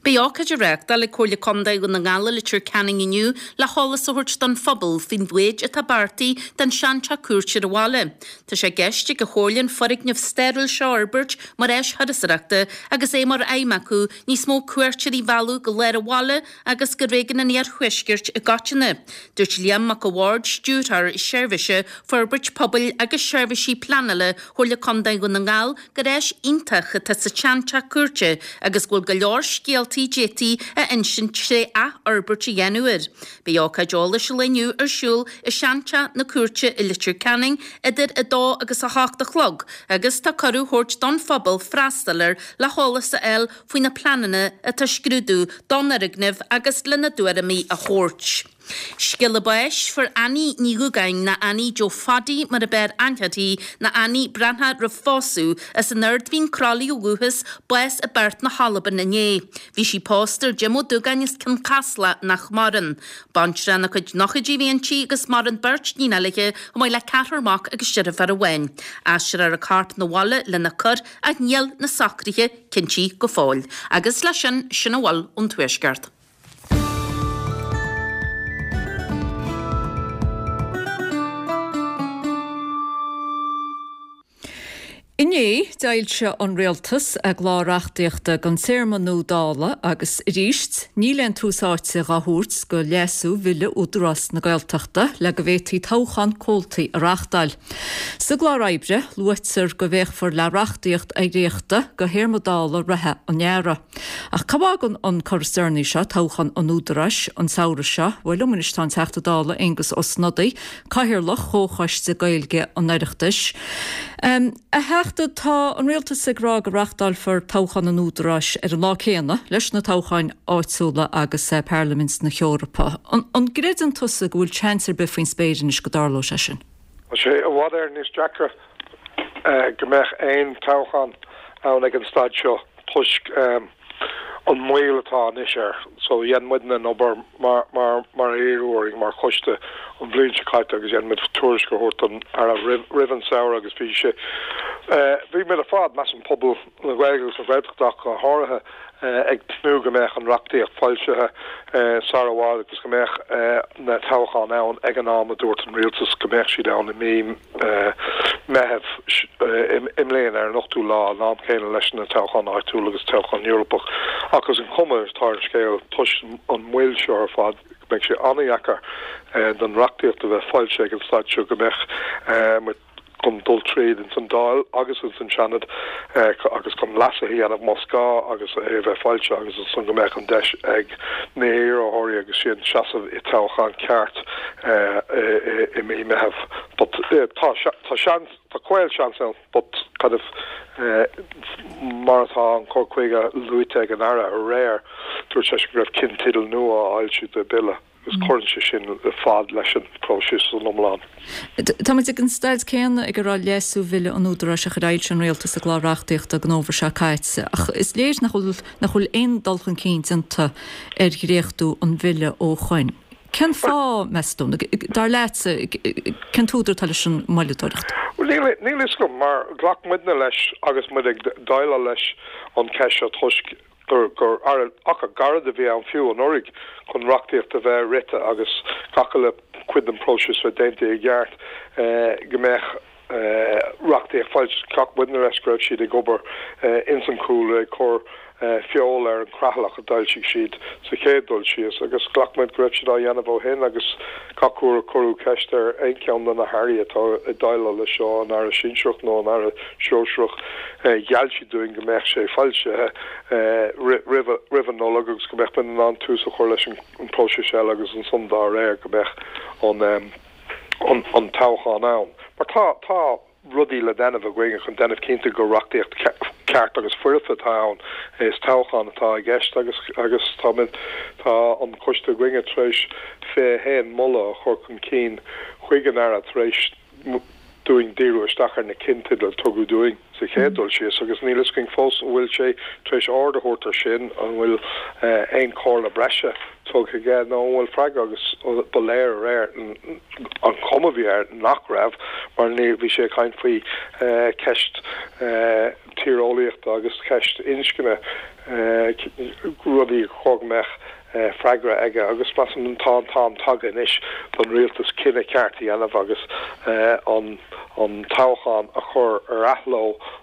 Beidh ócáid á reáchtáil ag Comhairle Contae Dhún na nGall i Leitir Ceanainn inniu le heolas a thabhairt don phobal faoin mhéid atá beartaithe don seanteach cúirte ar an bhaile. Tá sé i gceist ag an Chomhairle an foirgneamh stairiúil seo a fhorbairt mar áis thurasóireachta agus é mar aidhm acu níos mó cuairteoirí a mhealladh go lár an bhaile agus go réigiún an Iarthuaiscirt i gcoitinne. Dúirt Liam Mac a' Bhaird, Stiúrthóir Seirbhíse, Forbairt Pobail agus Seirbhísí Pleanála Chomhairle Contae Dhún na nGall gur áis iontach atá sa tseanteach cúirte agus go bhfuil go leor scéaltaí d'fhéadfaí a insint tré athfhorbairt a dhéanamh air. Beidh ócáid eolais an lae inniu ar siúl i seanteach na cúirte i Leitir Ceanainn idir a dó agus a hocht a chlog agus tá cuireadh á thabhairt don phobal freastal air le heolas a fháil faoi na pleananna atá á scrúdú don fhoirgneamh agus lena dtuairimí a thabhairt. Scéala báis, Fuair Annie Ní Dhúgáin, nó Annie Joe Phaddy mar a b'fhearr aithne uirthi, nó Annie Breathnach roimh phósadh, as an Ard Mhín Crolly ó dhúchas, bás i bPeairt na hAlban inné. Bhí sí pósta ar Jim Ó Dúgáin as Cionn Caslach nach maireann. Baintreach ina cuid nóchaidí a bhí inti agus maireann beirt níon eile aici chomh maith le ceathrar mac agus deirfiúr amháin. Aistreofar a corp 'na bhaile lena cur ach níl na socruithe cinntithe go fóill. Agus leis sin, sin a bhfuil ón Tuaisceart. Inné, d'fhoilsigh an Rialtas a gclár reachtaíochta don téarma nua Dála agus arís, níl aon tús áite dhá thabhairt go leasú Bhille Údarás na Gaeltachta le go bhféadfaí toghchán comhaltaí a reáchtáil. Sa gclár oibre, luaitear go bhféachfar le reachtaíocht oidhreachta go théarma Dála reatha an earraigh. Ach cá bhfágann an cor is deireanaí seo, toghchán an Údaráis, an samhradh seo? Bhuel, liom anois tá an Teachta Dála Aengus Ó Snodaigh, Cathaoirleach Chomhchoiste Gaeilge an Oireachtais. A Theachta, tá an Rialtas ag rá go reáchtálfar toghchán an Údaráis ar an lá céanna leis na toghcháin áitiúla agus Parlaimint na hEorpa. An gcreideann tusa go bhfuil seans ar bith faoin spéir anois go dtarlóidh sé sin? Tá sé i bhfad Éireann níos deacra go mbeadh aon toghchán ann ag an staid seo toisc an moill atá anois air. So dhein muidne an obair mar mar mar a iarradh orainn mar choiste an bhliain seo caite agus dhein muid tuairisc a thabhairt don Aire roimh roimh an samhradh agus bhí sé bhí muid ar fad, measaim pobal na Gaeilge agus na Gaeltachta ach go háirithe, ag tnúth go mbeadh an reachtaíocht foilsithe sar i bhfad agus go mbeadh na toghcháin ann ag an am a dúirt an rialtas go mbeadh siad ann i mí Meitheamh i mbliana ar an ochtú lá, an am céanna leis na toghcháin áitiúil agus toghchán Eorpach. Ach is an chuma atá ar an scéal, toisc an mhoill seo ar fad, go mbeidh sé an-dheacair don reachtaíocht a bheith foilsithe ag an staid seo, go mbeadh muid chun dul tríd ins an Dáil agus ins an Seanad agus chun leasuithe a dhéanamh más gá agus é a bheith foilsithe agus ansan go mbeadh an deis ag na hiarrthóirí agus sin seasamh i toghchán ceart i mí Meitheamh. But tá tá seans, tá caolseans ann but kind of mar atá an cur chuige luaite ag an Aire aréir, dúirt sé go raibh cinnteidil nua á fhoilsiú de bhille. agus cuireann sé sin fad leis an bpróiseas san iomlán. Tá muid ag an staid céanna ag a raibh leasú Bhille an Údaráis a chuir fhoilsigh an Rialtas a gclár reachtaíochta don fhómhar seo caite, ach is léir nach bhfuil nach bhfuil aon dul chun cinn déanta ar dhréachtú an bhille ó shoin. Cén fáth, meas tú, dar leatsa, cén t-údar atá leis an moilleadóireacht? Bhuel, níl níl fhios agam, mar ghlac muidne leis agus muid ag déileáil leis an cheist seo toisc gur gur achar gairid a bhí ann fiú anuraidh chun reachtaíocht a bheith rite agus gach uile chuid den phróiseas bheith déanta i gceart go mbeadh reachtaíocht foilsithe. Ghlac muidne leis go raibh siad ag obair ins an chúlra ag cur feoil ar an chreatlach a d'fhoilsigh siad sa chéad dul síos agus ghlac muid go raibh siad á dhéanamh ó shin agus gach uair a cuireadh ceist ar aon cheann de na hairí atá ag déileáil leis seo, an Aire Sinsearach nó an Aire Sóisearach, gheall siad dúinn go mbeadh sé foilsithe roimh an Nollaig agus go mbeadh muid in ann tús a chur leis an bpróiseas eile agus ansan dá réir go mbeadh an toghchán ann. Mar tá, tá. rudaí le déanamh againn chun déanamh cinnte gur reachtaíocht ceart agus foirfe atá ann. Is toghchán atá i gceist agus agus táimid, tá an coiste againne tar éis fiche a haon moladh a chur chun cinn chuig an Aire tar éis dúinn díriú isteach ar na cinnteidil a tugadh dúinn sa chéad dul síos agus níl fhios againn fós an bhfuil sé tar éis aird a thabhairt ar sin, an bhfuil aon chomhairle breise tugtha aige nó an bhfuil freagra agus ba léir aréir an chuma a bhí air nach raibh mar ní bhí sé ag caint faoi ceist tíreolaíochta agus ceist inscne rudaí chóir go mbeadh freagra aige agus measaim tá an t-am tagtha anois don rialtas cinneadh ceart a dhéanamh agus an an toghchán a chur ar athló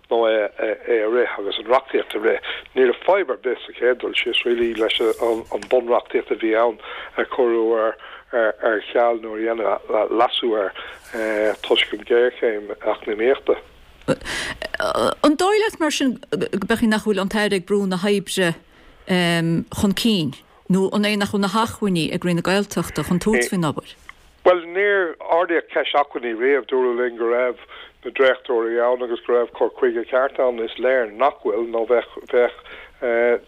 nó é é a rith agus an reachtaíocht a rith. Ní raibh fadhb ar bith sa chéad dul síos really leis an an bunreachtaíocht a bhí ann a cuireadh ar ar ar ceal nó a dhéanamh leasú air toisc an ghéarchéim eacnamaíochta. An dóigh leat mar sin go b'fhéidir nach bhfuil an tAire ag brú na hoibre chun cinn nó an é nach bhfuil na hacmhainní ag Roinn na Gaeltachta chun tabhairt faoin obair? Bhuel, níor ardaíodh ceist acmhainní riamh. Dúradh linn go raibh na dréachtóirí ann agus go raibh cur chuige ceart ann. Is léir nach bhfuil nó bheadh bheadh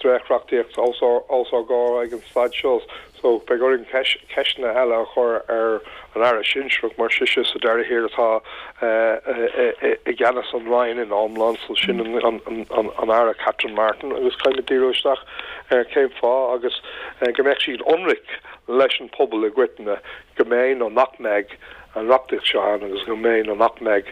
dréachtreachtaíocht os ár os ár gcomhair ag an staid seo. So beidh orainn ceisteanna eile a chur ar an Aire sinsearach mar sise sa deireadh thiar atá i gceannas an Roinn in iomlán, so sin an Aire Catherine Martin agus caithfimid díriú isteach ar cén fáth agus go mbeadh siad ionraic leis an pobal i gcoitinne go mbeidh nó nach mbeidh an reachtaíocht seo ann agus go mbeidh nó nach mbeidh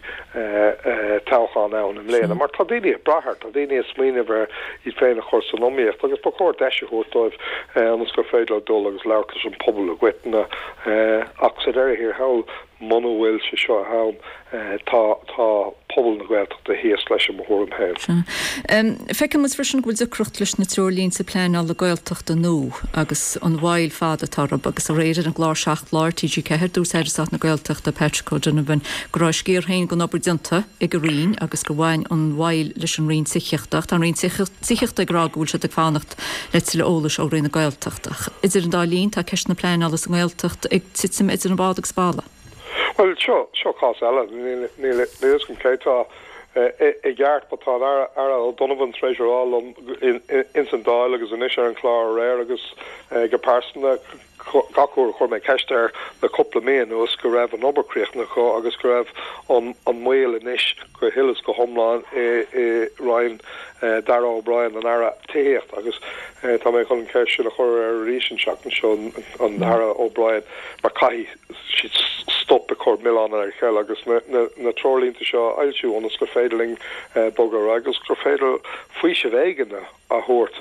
toghchán ann i mbliana. Mar tá daoine ag brath air, tá daoine ag smaoineamh ar iad féin a chur san iomaíocht agus ba chóir deis a thabhairt dóibh ionas gur féidir leo dul agus labhairt leis an pobal i gcoitinne. Ach sa deireadh thiar thall, muna bhfuil sé seo ann, tá tá pobal na Gaeltachta thíos leis i mo thuairim féin. Feiceann muid freisin go bhfuil deacracht leis na treoirlínte pleanála Gaeltachta nua agus an mhoill fada atá orthu agus aréir ar an gclár Seacht Lá ar T G ceathair dúirt Aire Stáit na Gaeltachta Patrick O'Donovan go raibh a sciar féin den obair déanta ag a Roinn agus gur bhain an mhoill leis an Roinn Tithíochta ach tá an Roinn Tithíochta ag rá go bhfuil siad ag fanacht le tuilleadh eolais ó Roinn na Gaeltachta. Ach idir an dá linn tá ceist na pleanála sa nGaeltacht ag titim idir an bád agus balla. Bhuel, seo, seo cás eile. Níl, níl, níl fhios agam cé tá i gceart, but tá an Aire, Aire O'Donovan tar éis a rá liom ins an Dáil agus anois ar an chlár aréir agus go pearsanta gach uair a chuir mé ceist air le cúpla mí anuas go raibh an obair críochnaithe acu agus go raibh an, an moill anois go huile is go hiomlán i, i Roinn Darragh O'Brien, an Aire Tithíochta agus tá mé chun an cheist sin a chur air arís an tseachtain seo, an Aire O'Brien, mar caithfidh siad stop ag cur milleán ar a chéile agus na treoirlínte seo a fhoilsiú ionas gur féidir linn bogadh ar aghaidh agus gur féidir faoiseamh éigin a thabhairt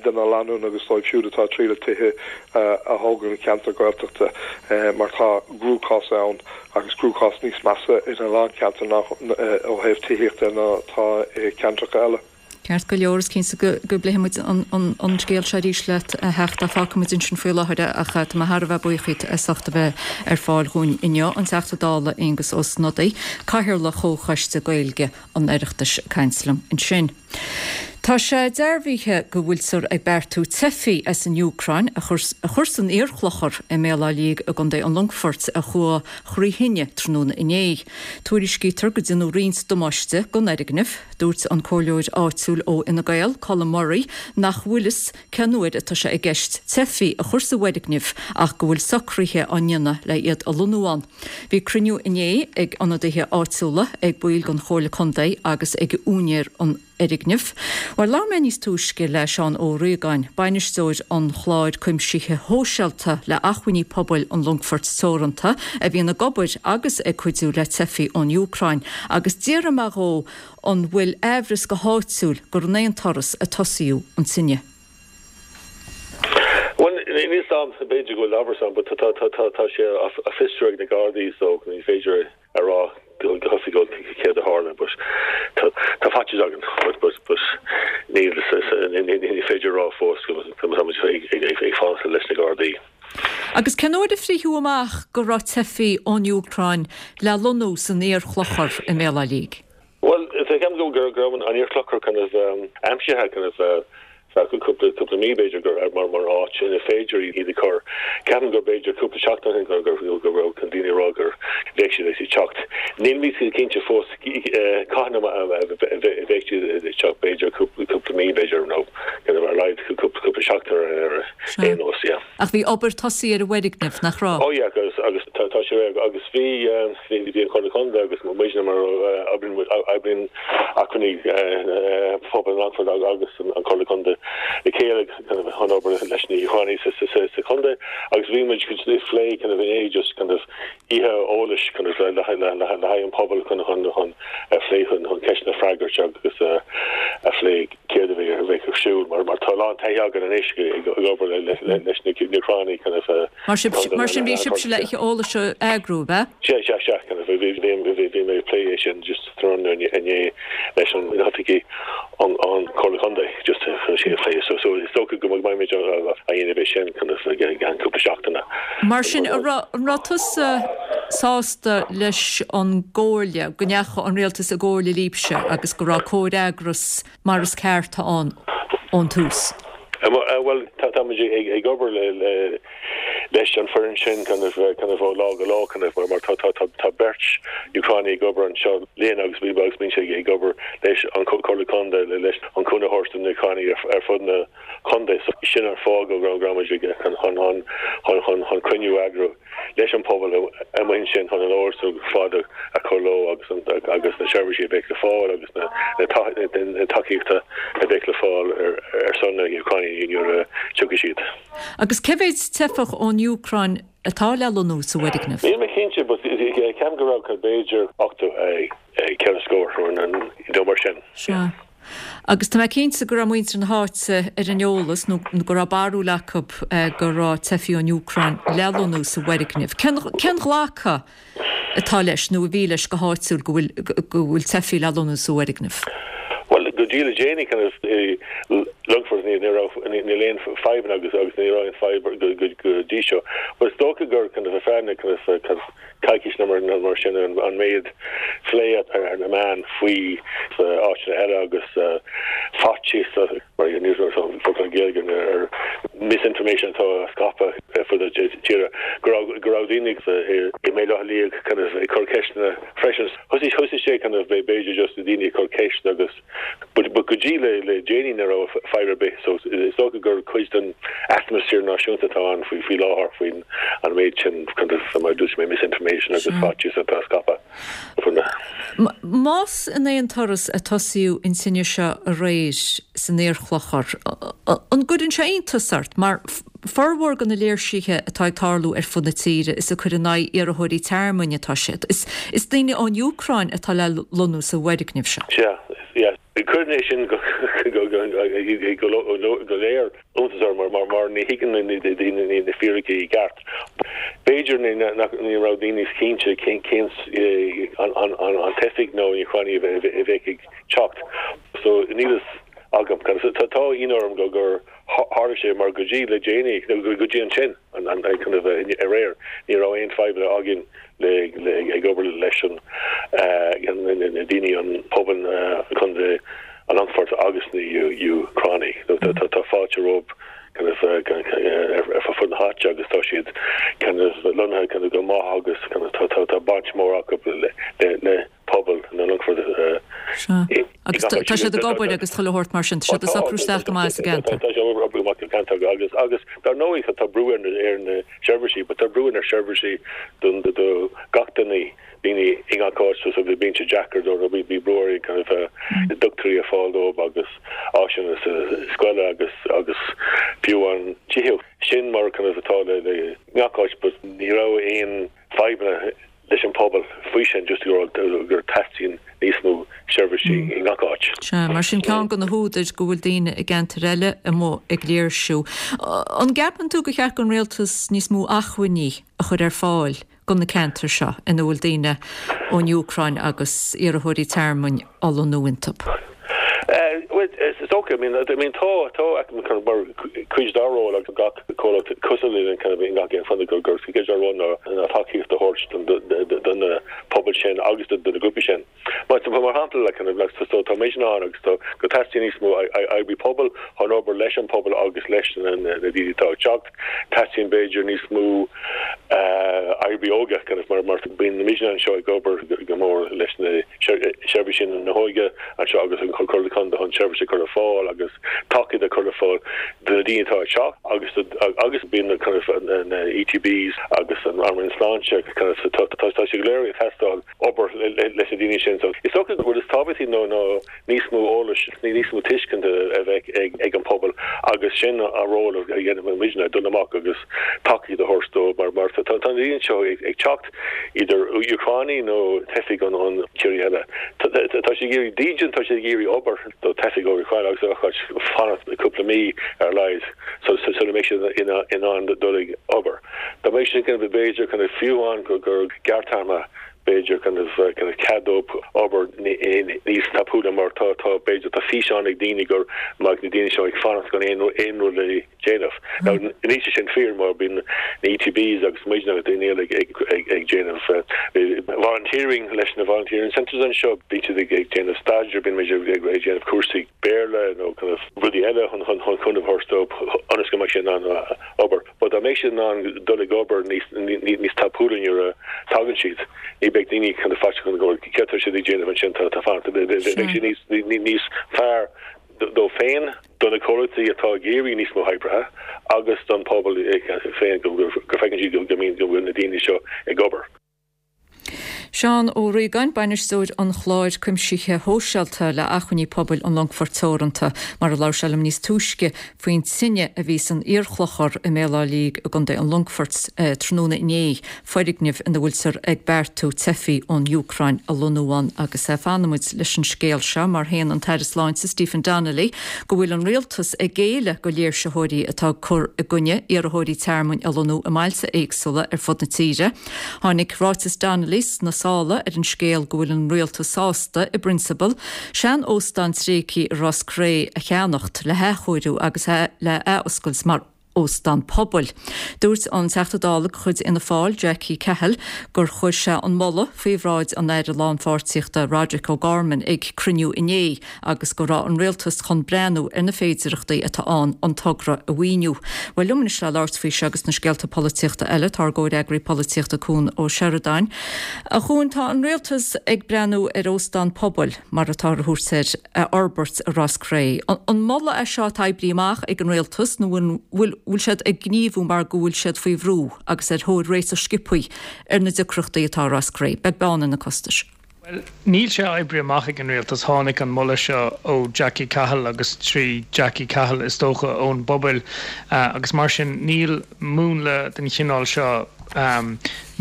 do na lánúin agus dóibh siúd atá ag triail tithe a thógáil i gceantar Gaeltachta mar tá cruachás ann agus cruachás níos measa ina lán ceantar ná ó thaobh tithíochta ná atá i gceantracha eile. Ceart go leor, is cinnte go bpléifidh muid an scéal seo arís leat, a Theachta. Fágfaidh muid ansin faoi láthair é ach tá mé thar a bheith buíoch díot as ucht a bheith ar fáil dhúinn inniu. An Teachta Dála Aengus Ó Snodaigh, Cathaoirleach Chomhchoiste Gaeilge an Oireachtais ag caint liom ansin. Tá sé dearbhaithe go bhfuiltear ag beartú teifigh as an Úcráin a chur san iarchlochar i mBéal Átha Liag i gContae an Longfoirt a chuaigh thrí thine tráthnóna inné. Tuairiscítear go deineadh roinnt damáiste don fhoirgneamh. Dúirt an comhairleoir áitiúil ó Fhine Gael, Colm Murray, nach bhfuil fhios cén uair atá sé i gceist teifigh a chur sa bhfoirgneamh ach go bhfuil socruithe á ndéanamh le iad a lonnú ann. Bhí cruinniú inné ag ionadaithe áitiúla, ag baill den Chomhairle Contae agus ag úinéir an fhoirgnimh. Bhuel, labhair mé níos túisce le Seán Ó Riagáin, bainisteoir an Chláir Cuimsithe Shóisialta le Acmhainní Pobail an Longfoirt Teoranta, a bhíonn ag obair agus ag cuidiú le teifigh ón Úcráin, agus d'fhiafraigh mé dhó an bhfuil aimhreas go háitiúil gur in aon turas a tosaíodh an tine. Bhuel, níl fhios a'm, b'fhéidir go bhfuil amhras ann, but tá sé á fiosrú ag na Gardaí so ní féidir a rá go hoifigiúil céard a tharla but tá faitíos againn but but but níl ní féidir a rá fós go tá muid ag fanacht leis na Gardaí. Agus cén uair a frítheadh amach go raibh teifigh ón Úcráin le lonnú san iarchlochar i mBéal Átha Liag? Bhuel, ceapaim go raibh an iarchlochar kind of aimsithe kind of feadh cúpla cúpla mí b'fhéidir gur mar mar áit ina féidir iad a chur. Ceapaim gur b'fhéidir cúpla seachtain ó shin gur gur go raibh na daoine ag rá gur bheadh siad ag teacht. Nílimid cinnte fós cathain a bheidh siad ag teacht b'fhéidir cúpla cúpla mí b'fhéidir nó kind of ar a laghad cúpla cúpla seachtain ar aon nós yeah. Ach bhí obair tosaithe ar an bhfoirgneamh, nach raibh? Oh yeah agus agus tá tá sé agus bhí bhí an Chomhairle Contae agus muidne mar oibríonn oibríonn acmhainní pobail an Longfoirt agus an Chomhairle Contae le chéile chun obair leis na hÚcránaigh sa chontae. bhí muid ag plé kind of inné just kind of oíche eolais kind of le le le le haghaidh an pobal chun chun chun a phlé chun chun ceisteanna a fhreagairt agus a phlé céard a bheidh a bheidh ar siúl mar mar tá a lán taithí againn anois ag ag obair le le leis na hÚcránaigh kind of Mar sin mar sin bhí sibhse le oíche eolais a eagrú, ab ea? Sea sea sea kind of bhí bhí bhí bhí mé ag plé é sin just tráthnóna inné leis an oifigigh an an Comhairle Contae just chun sin a phlé so so is dócha go mbeimid á dhéanamh é sin kind of i gceann cúpla seachtaine. Mar sin an raibh an raibh tusa sásta leis an gcomhairle, go ndeachaigh an rialtas i gcomhairle libhse agus go raibh comhfhreagras mar is ceart ann ón tús? Bhuel tá táimid ag ag obair le le leis an foireann sin kind of kind of ó lá go lá kind of mar mar tá tá tá tá beirt Úcránaigh ag obair anseo linn agus bhí agus bíonn sé ag obair leis an Comhairle Contae le leis an cúnamh a thabhairt do na Úcránaigh ar ar fud na contae so sin an fáth go raibh go raibh muid ag chun chun chun chun chun chun cruinniú a eagrú leis an pobal amuigh ansin chun an eolas ar fad a chur leo agus an agus na seirbhísí a bheidh le fáil agus na na na tacaíochta a bheidh le fáil ar ar son na hÚcráine nuair a tiocfaidh siad. Agus cé mhéad teifeach ón Úcráin atá le lonnú sa bhfoirgneamh? Níl mé cinnte but ceapaim go raibh b'fhéidir ochtó ceithre scór nó mar sin. Sea. Agus tá mé cinnte go raibh muintir na háite ar an eolas nó go raibh barúil acu go raibh teifigh ón Úcráin le lonnú sa bhfoirgneamh. Cén cén ghlacadh atá leis nó a bhí leis go háitiúil go bhfuil go bhfuil teifigh le lonnú sa bhfoirgneamh? Well go dtí le déanaí kind of Longfort ní raibh níl aon fadhbanna agus agus ní raibh aon fadhb go go go dtí seo. But is dócha gur kind of a fearna kind of kind of coicís nó mar nó mar sin an an méid plé ar na meáin faoi áiteanna eile agus faitíos mar ní focal Gaeilge ar misinformation atá á scaipeadh fud na tíre go raibh go raibh daoine i mBéal Átha Liag kind of ag cur ceisteanna freisin. Thosaigh thosaigh sé kind of b'fhéidir just daoine ag cur ceist agus but but go dtí le le déanaí ní raibh fadhb ar bith so is dócha gur cuid den atmaisféar náisiúnta atá ann faoi faoi láthair faoin an méid sin kind of mar dúirt mé misinformation agus faitíos atá á scaipeadh fud na Más in aon turas a tosaíodh an tine seo aréir san Iarchlochar, an gcuireann sé iontas ort mar formhór de na léirsithe atá ag tarlú ar fud na tíre is ag cur in aghaidh iarrthóirí tearmainn atá siad. Is, is daoine ón Úcráin atá le lonnú sa bhfoirgneamh seo. Sea, yeah. Cuireann é sin go go go go go léir iontas orm mar mar mar ní thuigeann na daoine na fíricí i gceart. B'fhéidir ní nach ní raibh daoine cinnte cén cén an an an an teifigh nó an Úcránaigh a bheith a bheith ag teacht. So níl fhios agam tá tá ionadh orm go gur tharla sé mar go dtí le déanaí nó go dtí ansin an an kind of aréir ní raibh aon fadhbanna againn le le ag obair leis an na daoine an pobal Contae an Longfoirt agus na Úcránaigh. Tá fáilte rompu kind of ar fud na háite agus tá siad kind of lonnaithe kind of go maith agus kind of tá tá tá baint mór acu le le le pobal na Longfort. Agus tá siad ag obair agus chuile shórt mar sin, tá siad ag socrú isteach go maith sa gceantar. Tá sé obair maith sa gceantar agus agus dar ndóigh tá brú ar na ar na seirbhísí, but tá brú ar na seirbhísí don do gach duine daoine i ngach áit so bíonn sé deacair dó bhí bhí brú ar kind of dochtúirí a fáil dóibh agus áiseanna sa scoile agus agus fiú an tithíocht sin mar kind of atá le le ngach áit but ní raibh aon fadhbanna leis an pobal faoi sin just gur gur teastaíonn níos mó seirbhísí i ngach áit. Sea, mar sin ceann de na húdair go bhfuil daoine i gceantair eile amuigh ag léirsiú. An gceapann tú gur cheart don rialtas níos mó acmhainní a chur ar fáil do na ceantair seo ina bhfuil daoine ón Úcráin agus iarrthóirí tearmainn á lonnú iontu? Is dócha, I mean, I mean tá tá mar cuid dá ról agus gach comhlacht cosúil linn kind of i ngach aon chontae gur gur cuid dá ról ná ná tacaíocht a thabhairt don na pobal sin agus do na grúpaí sin. Mar mar shampla le kind of like so tá muid in ann agus tá go teastaíonn níos mó oibrí pobail chun obair leis an pobal agus leis na na daoine atá ag teacht. Teastaíonn b'fhéidir níos mó oibrí óige kind of mar mar bíonn muid anseo ag obair go mór leis na seirbhísí na hóige anseo agus an Comhairle Contae chun seirbhísí a chur ar fáil fáil agus tacaíocht a chur ar fáil do na daoine atá ag teacht agus agus bíonn na kind of na ETBs agus an Roinn Sláinte kind of tá tá sé go léir ag teastáil obair leis na daoine sin. So is dócha go bhfuil is tábhachtaí nó ná níos mó eolais, níos mó tuiscint a bheith ag ag an pobal agus sin a ról a dhéanamh muidne dul amach agus tacaíocht a thabhairt dóibh mar mar tá tá na daoine seo ag ag teacht idir Úcránaigh nó teifigh ón ón tír eile. Tá siad ag iarraidh dídean, tá siad ag iarraidh obair do teifigh ó Úcráin agus a fanacht cúpla mí ar a laghad so so so mbeidh siad in in ann dul ag obair. Dá mbeidh sin kind of b'fhéidir kind of fiú amháin gur gur gearrthéarma b'fhéidir kind of kind of cead dóibh obair níos tapúla mar tá tá b'fhéidir tá físeán ag daoine go mbeidh na daoine seo ag fanacht gan aon aon rud le déanamh. Now níl sé sin fíor mar bíonn na ETBs agus muidne agus daoine eile ag ag ag ag déanamh volunteering leis na volunteering centres anseo bíonn siad ag ag déanamh staidéar bíonn muid ag ag déanamh cúrsaí Béarla nó kind of rudaí eile chun chun chun chun a thabhairt dóibh ionas go mbeidh siad in ann obair. But dá mbeidh siad in ann dul ag obair níos níos tapúla nuair a tagann siad ní bheidh daoine kind of faitíoch go céard atá siad ag déanamh ansin tá tá fanacht beidh siad níos níos fearr dóibh féin, do na comhlachtaí atá ag iarraidh níos mó oibrithe agus don pobal féin go go bhfeiceann siad go mbíonn go bhfuil na daoine seo ag obair. Seán Ó Riagáin, bainisteoir an chláir cuimsithe shóisialta le Acmhainní Pobail an Longfoirt Teoranta, mar a labhair sé liom níos túisce faoin tine a bhí san iarchlochar i mBéal Átha Liag i gContae an Longfoirt tráthnóna inné, foirgneamh ina bhfuiltear ag beartú teifigh ón Úcráin a lonnú ann agus fanfaimid leis an scéal seo mar shéan an tAire Sláinte Stephen Donnelly go bhfuil an rialtas ag géilleadh go léirsitheoirí atá ag cur i gcoinne iarrthóirí tearmainn a lonnú i mbailte éagsúla ar fud na tíre. Tháinig ráiteas Donnelly sna sála ar an scéal go bhfuil an rialtas sásta i bprionsabal sean-óstán tréigthe i Ros Cré a cheannacht le hathchóiriú agus le athoscailt mar óstán pobail. Dúirt an Teachta Dála de chuid Fhianna Fáil Jackie Cahill gur chuir sé an moladh faoi bhráid an Aire Lánpháirtíochta Roderick O'Gorman ag cruinniú inné agus go raibh an rialtas chun breathnú ar na féidearthachtaí atá ann an togra a mhaoiniú. Well liom anois le labhairt faoi seo agus na scéalta polaitíochta eile tá ár gcomhfhreagraí polaitíochta Cuan Ó Seireadáin. A Chuain tá an rialtas ag breathnú ar óstán pobail mar atá á thabhairt air a fhorbairt i Ros Cré. An moladh é seo atá oibrithe amach ag an rialtas nó bhfuil bhfuil siad ag gníomhú mar go bhfuil siad faoi bhrú agus ar thóir réiteach sciobtha ar na deacrachtaí atá i Ros Cré, beag beann ar na costais. Bhuel, níl sé oibrithe amach ag an rialtas. Tháinig an moladh seo ó Jackie Cahill agus trí Jackie Cahill is dócha ón bpobal agus mar sin níl múnla den chineál seo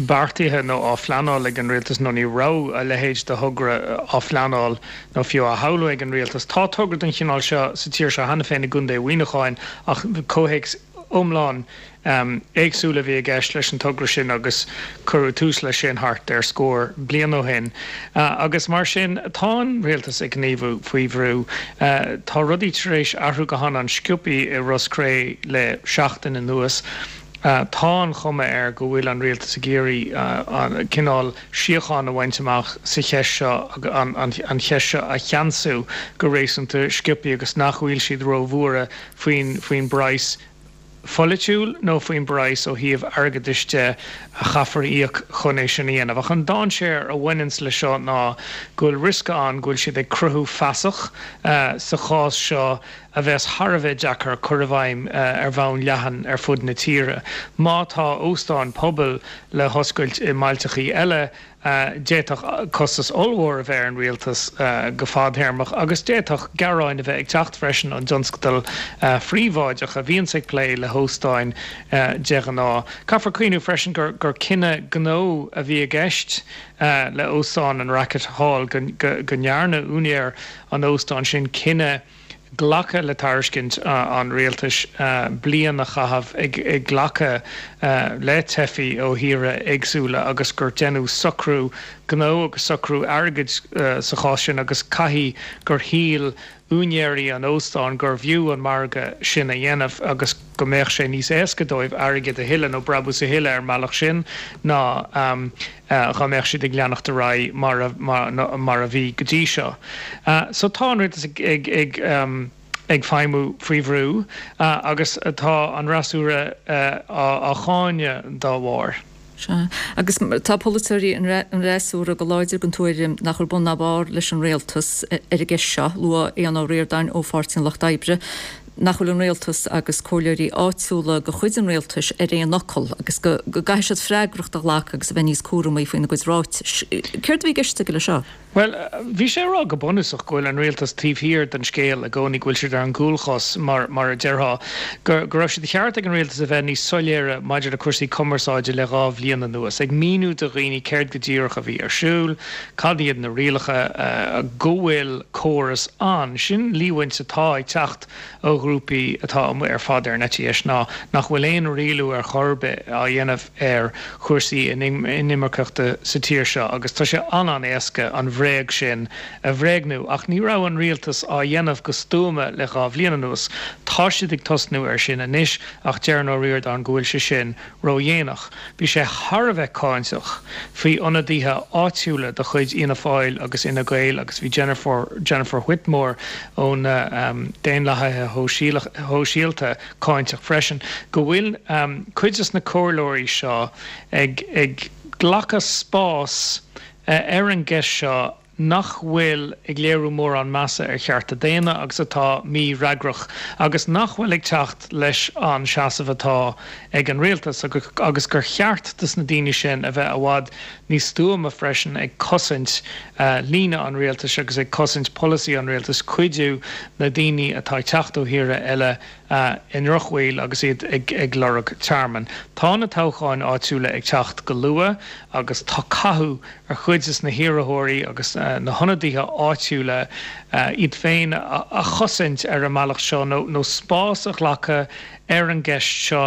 beartaithe nó á phleanáil ag an rialtas nó ní raibh a leithéid de thogra á phleanáil nó fiú á shamhlú ag an rialtas. Tá togra den chineál seo sa tír seo cheana féin i gContae Mhuineacháin ach comhthéacs iomlán éagsúil a bhí i gceist leis an togra sin agus cuireadh tús leis sin thart ar scór bliain ó shin. Agus mar sin tá an rialtas ag gníomhú faoi bhrú. Tá rudaí tar éis athrú go han-sciobtha i Ros Cré le seachtain anuas. Tá an chuma air go bhfuil an rialtas ag iarraidh cineál síocháin a bhaint amach sa cheist seo, an cheist seo a cheansú go réasúnta sciobtha agus nach bhfuil siad róbhuartha faoin faoin bpraghas pholaitiúil nó faoin bpraghas ó thaobh airgeadais de a chaithfear a íoc chun é sin a dhéanamh. Ach an dainséar a bhaineanns leis seo ná go bhfuil riosca ann go bhfuil siad ag cruthú fasach sa chás seo a bheas thar a bheith deacair cur i bhfeidhm ar bhonn leathan ar fud na tíre. Má tá óstáin pobail le hoscailt i mbailteachaí eile, d'fhéadfadh costas ollmhór a bheith ar an rialtas go fadtéarmach agus d'fhéadfadh gearáin a bheith ag teacht freisin ón dtionscadal phríobháideach a bhíonns ag plé le hóstáin de ghnáth. Caithfear cuimhneamh freisin gur gur cinneadh gnó a bhí i gceist le óstán an Racket Hall, go go ndearna úinéir an óstáin sin cinneadh glacadh le tairiscint an rialtais bliain a chaitheamh ag glacadh le teifigh ó thíortha éagsúla agus gur deineadh socrú gnó agus socrú airgid sa chás sin agus caithfidh gur shíl úinéirí an óstáin gurbh fhiú an margadh sin a dhéanamh agus go mbeadh sé níos éasca dóibh airgead a thuilleamh nó brabús a thuilleamh ar an mbealach sin ná dá mbeadh siad ag leanacht ar aghaidh mar a mar a bhí go dtí seo. So tá an rialtas ag ag ag ag feidhmiú faoi bhrú agus tá an fhreasúra á cháineadh dá bharr. Sea. Agus tá polaiteoirí an fhreasúra go láidir den tuairim nach bhfuil bun ná barr leis an rialtas ar an gceist seo. Luaigh Aodhán Ó Ríordáin ó Pháirtí an Lucht Oibre nach bhfuil an rialtas agus comhairleoirí áitiúla de chuid an rialtais ar aon fhocal agus go gcaithfidh siad freagracht a ghlacadh agus a bheith níos cúramaí faoina gcuid ráitis. Céard a bhí i gceist aige leis seo? Bhuel, bhí sé ag rá go bunúsach go bhfuil an rialtas taobh thiar den scéal i gcónaí, go bhfuil siad ar an gcúlchos mar mar a déarfá, go go raibh sé de cheart ag an rialtas a bheith níos soiléire maidir le cúrsaí cumarsáide le dhá bhliain anuas, ag míniú do dhaoine céard go díreach a bhí ar siúl, cad iad na rialacha, go bhfuil córas ann. Sin líomhaint atá ag teacht ó ghrúpaí atá amuigh ar fad ar an eite dheis ná nach bhfuil aon rialú ar chor ar bith á dhéanamh ar chúrsaí inimirceachta sa tír seo agus tá sé an-an-éasca an bhréag sin a bhréagnú. Ach ní raibh an rialtas á dhéanamh go stuama le dhá bhliain anuas. Tá siad ag tosnú air sin anois ach deireann Ó Ríordáin go bhfuil sé sin ródhéanach. Bhí sé thar a bheith cáinteach faoi ionadaithe áitiúla de chuid Fhianna Fáil agus Fhine Gael agus bhí Jennifer Jennifer Whitmore ó na Daonlathaithe Shóisialta cáinteach freisin go bhfuil cuid des na comhairleoirí seo ag ag glacadh spás ar an gceist seo nach bhfuil ag léiriú mórán measa ar chearta daonna agus atá mífhreagrach agus nach bhfuil ag teacht leis an seasamh atá ag an rialtas agus gur cheart dos na daoine sin a bheith i bhfad níos stuama freisin ag cosaint líne an rialtais agus ag cosaint polasaí an rialtais, cuidiú le daoine atá ag teacht ó thíortha eile i ndrochbhaol agus iad ag lorg tearmainn. Tá na toghcháin áitiúla ag teacht go luath agus tá cathú ar chuid des na hiarrthóirí agus na hionadaithe áitiúla iad féin a chosaint ar an mbealach seo nó spás a ghlacadh ar an gceist seo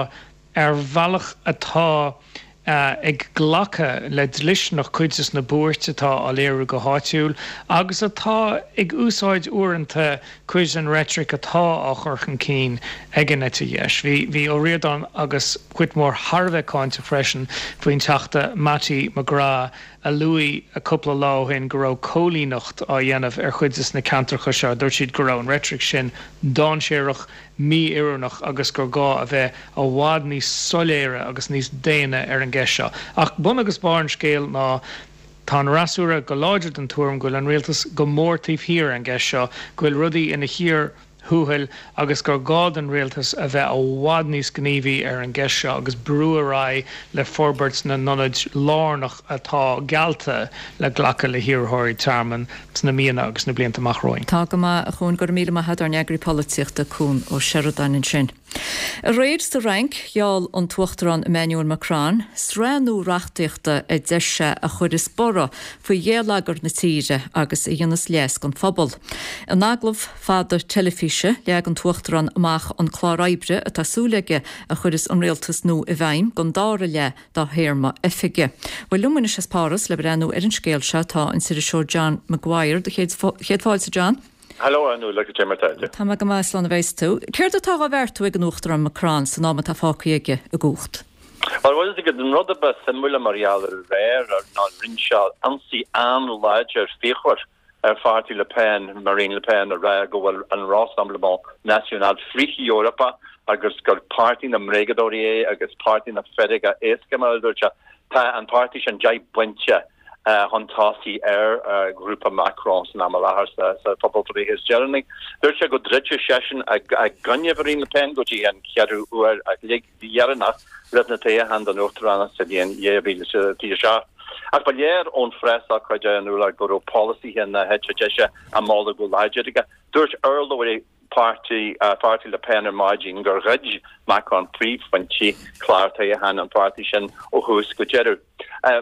ar bhealach atá ag glacadh le dlisteanacht cuid des na buairt atá á léiriú go háitiúil agus atá ag úsáid uaireanta cuid den reitric atá á chur chun cinn ag an eite dheis. Bhí bhí Ó Ríordáin agus Whitmore thar a bheith cáinteach freisin faoin Teachta Mattie McGrath a luaigh cúpla lá ó shin go raibh cóilíneacht á dhéanamh ar chuid des na ceantracha seo. Dúirt siad go raibh an reitric sin dainséarach, mí-oiriúnach agus gur gá a bheith i bhfad níos soiléire agus níos daonna ar an gceist seo. Ach bun agus barr an scéil ná tá an fhreasúra go láidir den tuairim go bhfuil an rialtas go mór taobh thiar ar an gceist seo, go bhfuil rudaí ina chíor thuathail agus gur gá don rialtas a bheith i bhfad níos gníomhaí ar an gceist seo agus brú ar aghaidh le forbairt na n-ionad lárnach atá geallta le glacadh le hiarrthóirí tearmainn sna míonna agus na blianta amach romhainn. Tá go maith, a Chuain, go raibh míle maith agat, ár n-eagraí polaitíochta, Cuan Ó Seireadáin ansin. Aréir sa Fhrainc, gheall an tUachtarán Emmanuel Macron sraith nua reachtaíochta a deir sé a chuirfeas borradh faoi gheilleagar na tíre agus a dhéanfas leas don phobal. In agallamh fada teilifíse, leag an tUachtarán amach an clár oibre atá súil aige a chuirfeas an rialtas nua i bhfeidhm don dara leath dá théarma oifige. Bhuel, liom anois as Páras le breathnú ar an scéal seo tá an t-iriseoir John Maguire. Do chéad fáilte, John. Hello, a Fhionnuala, cad é mar atá tú? Tá mé go maith, slán a bheas tú. Céard atá á bheartú ag an Uachtarán Macron san am atá fágtha aige i gcumhacht? Bhuel, bhfuil a fhios agat, an rud a ba suimiúla mar gheall ar aréir ná rinne sé ionsaí an-láidir fíochmhar ar pháirtí Le Pen, Marine Le Pen, ag rá go bhfuil an Rassemblement National frith-Eorpach agus gur páirtí na mbréagadóirí é agus páirtí na feirge éasca, mar a dúirt sé. Tá an páirtí sin deich bpointe chun tosaigh ar ghrúpa Macron san am i láthair sa phobalbhreith is deireanaí. Dúirt sé go dtroidfeadh seisean i gcoinne Mharine Le Pen go dtí an ceathrú uair a chloig dheireanach roimh na toghcháin don uachtaránacht sa bhliain dhá mhíle is fiche a seacht. Ach ba léir ón phreasócáid a Fhionnuala go raibh polasaithe na heite deise á moladh go láidir aige. Dúirt urlabhraí páirtí pháirtí Le Pen ar maidin gur ghoid Macron príomhphointí chlár toghcháin an pháirtí sin ó thús go deireadh.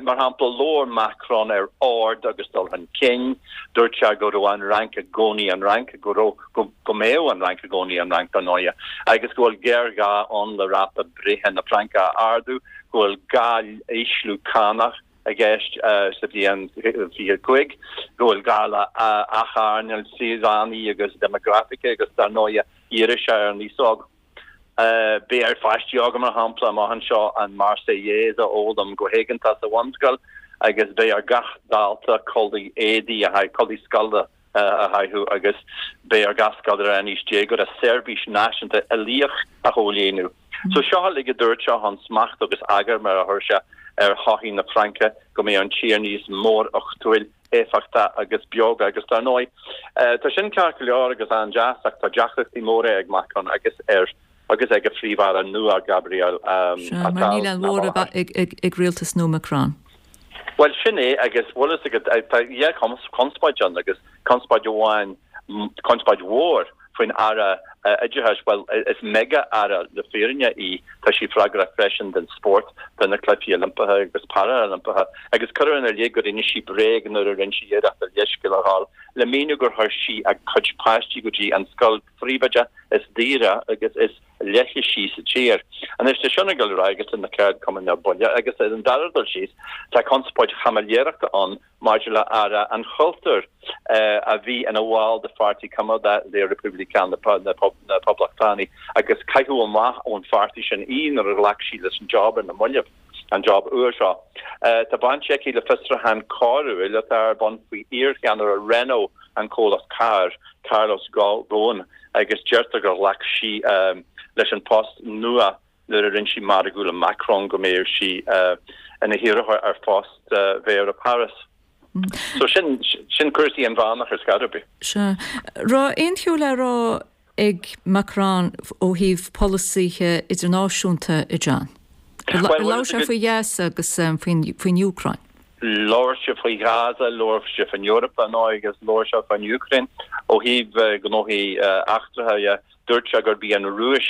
Mar shampla, labhair Macron ar ord agus dul chun cinn, dúirt sé go raibh an Fhrainc i gcónaí an Fhrainc, go raibh, go mbeadh an Fhrainc i gcónaí an Fhrainc, dar ndóighe, agus go bhfuil géarghá ann le ráta breithe na Fraince a ardú, go bhfuil gá ísliú cánach i gceist sa bhliain fiche cúig, go bhfuil gá le hathearnáil saoránaí agus déimeagrafaice agus dar ndóighe dhírigh sé ar an aos óg. Beidh ar pháistí óga, mar shampla, amach anseo an Marseillaise a fhoghlaim go héigeantach sa bhunscoil agus beidh ar gach dalta culaith éadaí a culaith scoile a chaitheamh agus beidh ar gach scoláire in aois déagóra seirbhís náisiúnta uilíoch a chomhlíonadh. So seo uilig a dúirt sé chun smacht agus eagar, mar a chuir sé, ar shochaí na Fraince, go mbeidh an tír níos móruchtúil, éifeachtach agus beoga agus dar ndóigh tá sin ceart go leor agus an-deas ach tá deacrachtaí móra ag Macron agus ar agus ag a phríomh-aire nua Gabriel Sea, mar níl aon mhóramh ag rialtas nua Macron. Bhuel sin é agus bhfuil fhios agat tá dhá chonspóid ann agus conspóid amháin conspóid mhór faoin Aire Oideachais, bhuel, is mega-aire le fírinne í, tá sí freagrach freisin don spórt, do na Cluichí Oilimpeacha agus Parailimpeacha, agus cuireadh ina leith go rinne sí bréag nuair a rinne sí iarracht a leithscéal a ghabháil le míniú gur chuir sí a cuid páistí go dtí an scoil phríobháideach is daoire agus is leithlisí sa tír. Anois tá sin ag dul ar aghaidh agus tá na ceardchumainn ar buile agus ar an dara dul síos tá conspóid chaimiléireachta ann maidir le hAire an Chultúir a bhí ina bhall de pháirtí coimeádach Les Républicains, na Poblachtánaigh, agus caitheadh amach ón pháirtí sin í nuair a ghlac sí leis an job ar na mallaibh, an job úr seo. Tá baint aici le fiosrúchán coiriúil atá ar bun faoi iarcheannaire Renault, an comhlacht cairr, Carlos Ghosn, agus deirtear gur ghlac sí leis an post nua nuair a rinne sí margadh le Macron go mbeadh sí ina hiarrthóir ar phost Mhéara Paris. So sin sin cúrsaí inmheánach ar scor ar bith. Sea. Raibh aon cheo le rá ag Macron ó thaobh polasaithe idirnáisiúnta, a John? Ar labhair sé faoi Ghaza agus faoin Úcráin? Labhair sé faoi Ghaza, labhair sé faoin Eoraip, ar ndóigh, agus labhair sé faoin Úcráin. Ó thaobh gnóthaí eachtracha dhe, dúirt sé gurb í an Rúis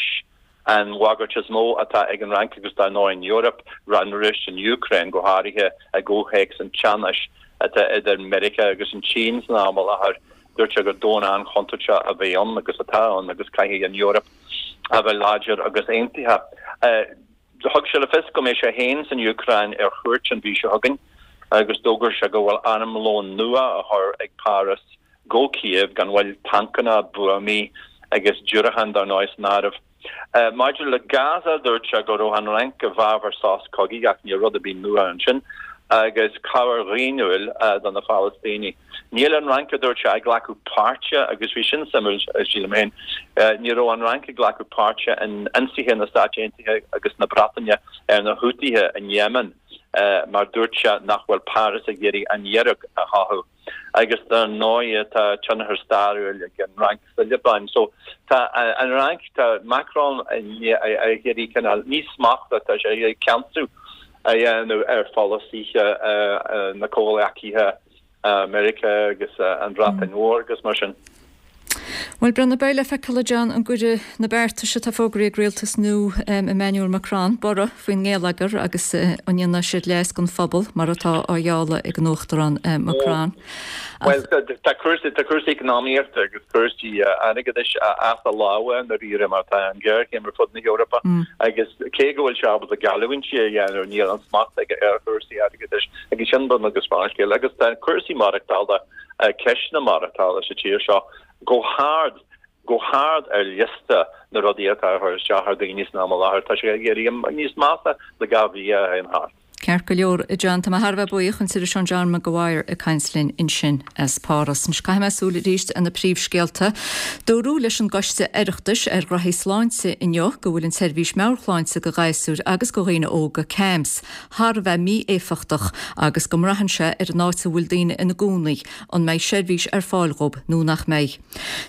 an bhagairt is mó atá ag an Fhrainc agus dar ndóigh an Eoraip, an Rúis, an Úcráin go háirithe i gcomhthéacs an teannais atá idir Meiriceá agus an tSín san am i láthair. Dúirt sé gur domhan an-chontúirteach a bheidh ann agus atá ann agus caithfidh an Eoraip a bheith láidir agus aontaithe. Thug sé le fios go mbeidh sé féin san Úcráin ar chuairt an mhí seo chugainn agus d'fhógair sé go bhfuil armlón nua á chur ag Páras go Cív gan mhoill, tancanna, buamaí agus diúracáin dar ndóigh san áireamh. Maidir le Gaza, dúirt sé go raibh an Fhrainc i bhfabhar sos cogaidh ach níl rud ar bith nua ansin, agus cabhair dhaonnúil do na Palaistínigh. Níl an Fhrainc, a dúirt sé, ag glacadh páirte, agus bhí sin suimiúil, sílim féin, ní raibh an Fhrainc ag glacadh páirte in ionsaithe na Stáit Aontaithe agus na Breataine ar na Hútaithe in Yemen mar dúirt sé nach bhfuil Páras ag iarraidh an fhearg a chothú. Agus dar ndóigh tá tionchar stairiúil ag an Fhrainc sa Liobáin. So tá an Fhrainc, tá Macron ag iarraidh cineál, ní smacht ach tá sé ag iarraidh ceansú a dhéanamh ar pholasaithe na comhghleacaithe, Meiriceá agus an Bhreatain Mhór agus mar sin. Bhuel, breathnóidh, beidh le feiceáil, a John, an gcuirfidh na beartais atá fógraithe ag rialtas nua Emmanuel Macron borradh faoin ngeilleagar agus an ndéanfaidh siad leas don phobal mar atá á ghealladh ag an Uachtarán Macron. Bhuel, tá cúrsaí tá cúrsaí eacnamaíochta agus cúrsaí airgeadais as a lámha i ndáiríre mar tá an ghéarchéim ar fud na hEorpa agus cé go bhfuil sé ábalta geallúintí a dhéanamh níl an smacht aige ar chúrsaí airgeadais agus sin bun agus barr an scéil agus tá cúrsaí maireachtála, ceisteanna maireachtála sa tír seo go hard, go hard ar liosta na rudaí atá ag cur isteach ar dhaoine san am i láthair. Tá sé ag éirí níos measa le dhá mhí a théann thart. Ceart go leor, a John, tá mé thar a bheith buíoch, an t-iriseoir John Mac Guaire ag caint linn ansin as Páras. Anois caithfidh mé súil arís ar na príomhscéalta. Dúradh leis an gCoiste Oireachtais ar Ghraithí Sláinte inniu go bhfuil an tseirbhís meabhairshláinte do ghasúir agus do dhaoine óga, CAMHS, thar a bheith mí-éifeachtach agus go mbraitheann sé ar an áit a bhfuil daoine ina gcónaí an mbeidh seirbhís ar fáil dhóibh nó nach mbeidh.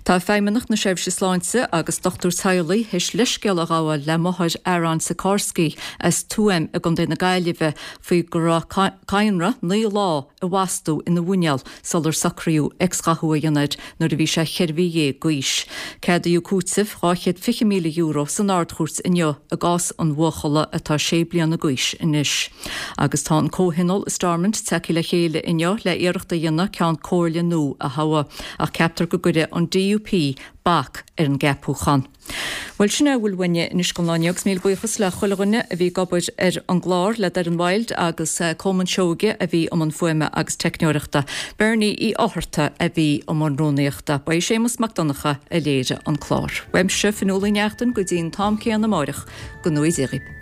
Tá Feidhmeannacht na Seirbhíse Sláinte agus dochtúir teaghlaigh théis leithscéal a ghabháil le máthair Aaron Sikorski as Tuaim i gContae na Gaillimhe faoi go raibh cadhnra naoi lá i bhfastú ina mhuineál sular socraíodh X-ghathú a dhéanamh air nuair a bhí sé cheithre mhí dhéag d'aois. Ceadaíodh cúiteamh dhá chéad fiche míle euro san Ard-Chúirt inniu i gcás an bhuachalla atá sé bliana d'aois anois. Agus tá an Comhthionól i Stormont tagtha le chéile inniu le iarracht a dhéanamh Ceann Comhairle nua a thoghadh, ach ceaptar go gcuirfidh an DUP bac ar an gceapúchán. Bhuel, sin é a bhfuil uainne anois don lá inniu agus míle buíochas le chuile dhuine a bhí ag obair ar an gclár, le Doireann Wilde agus Colmán Seoige a bhí i mbun fuaime agus teicneoireachta. Bernie Uí Fhátharta a bhí i mbun rúnaíochta. Ba é Séamus Mac Donncha a léirigh an clár. Uaimse, Fionnuala Ní Neachtain, go dtí an t-am céanna amáireach, go ngnóthaí Dia dhaoibh.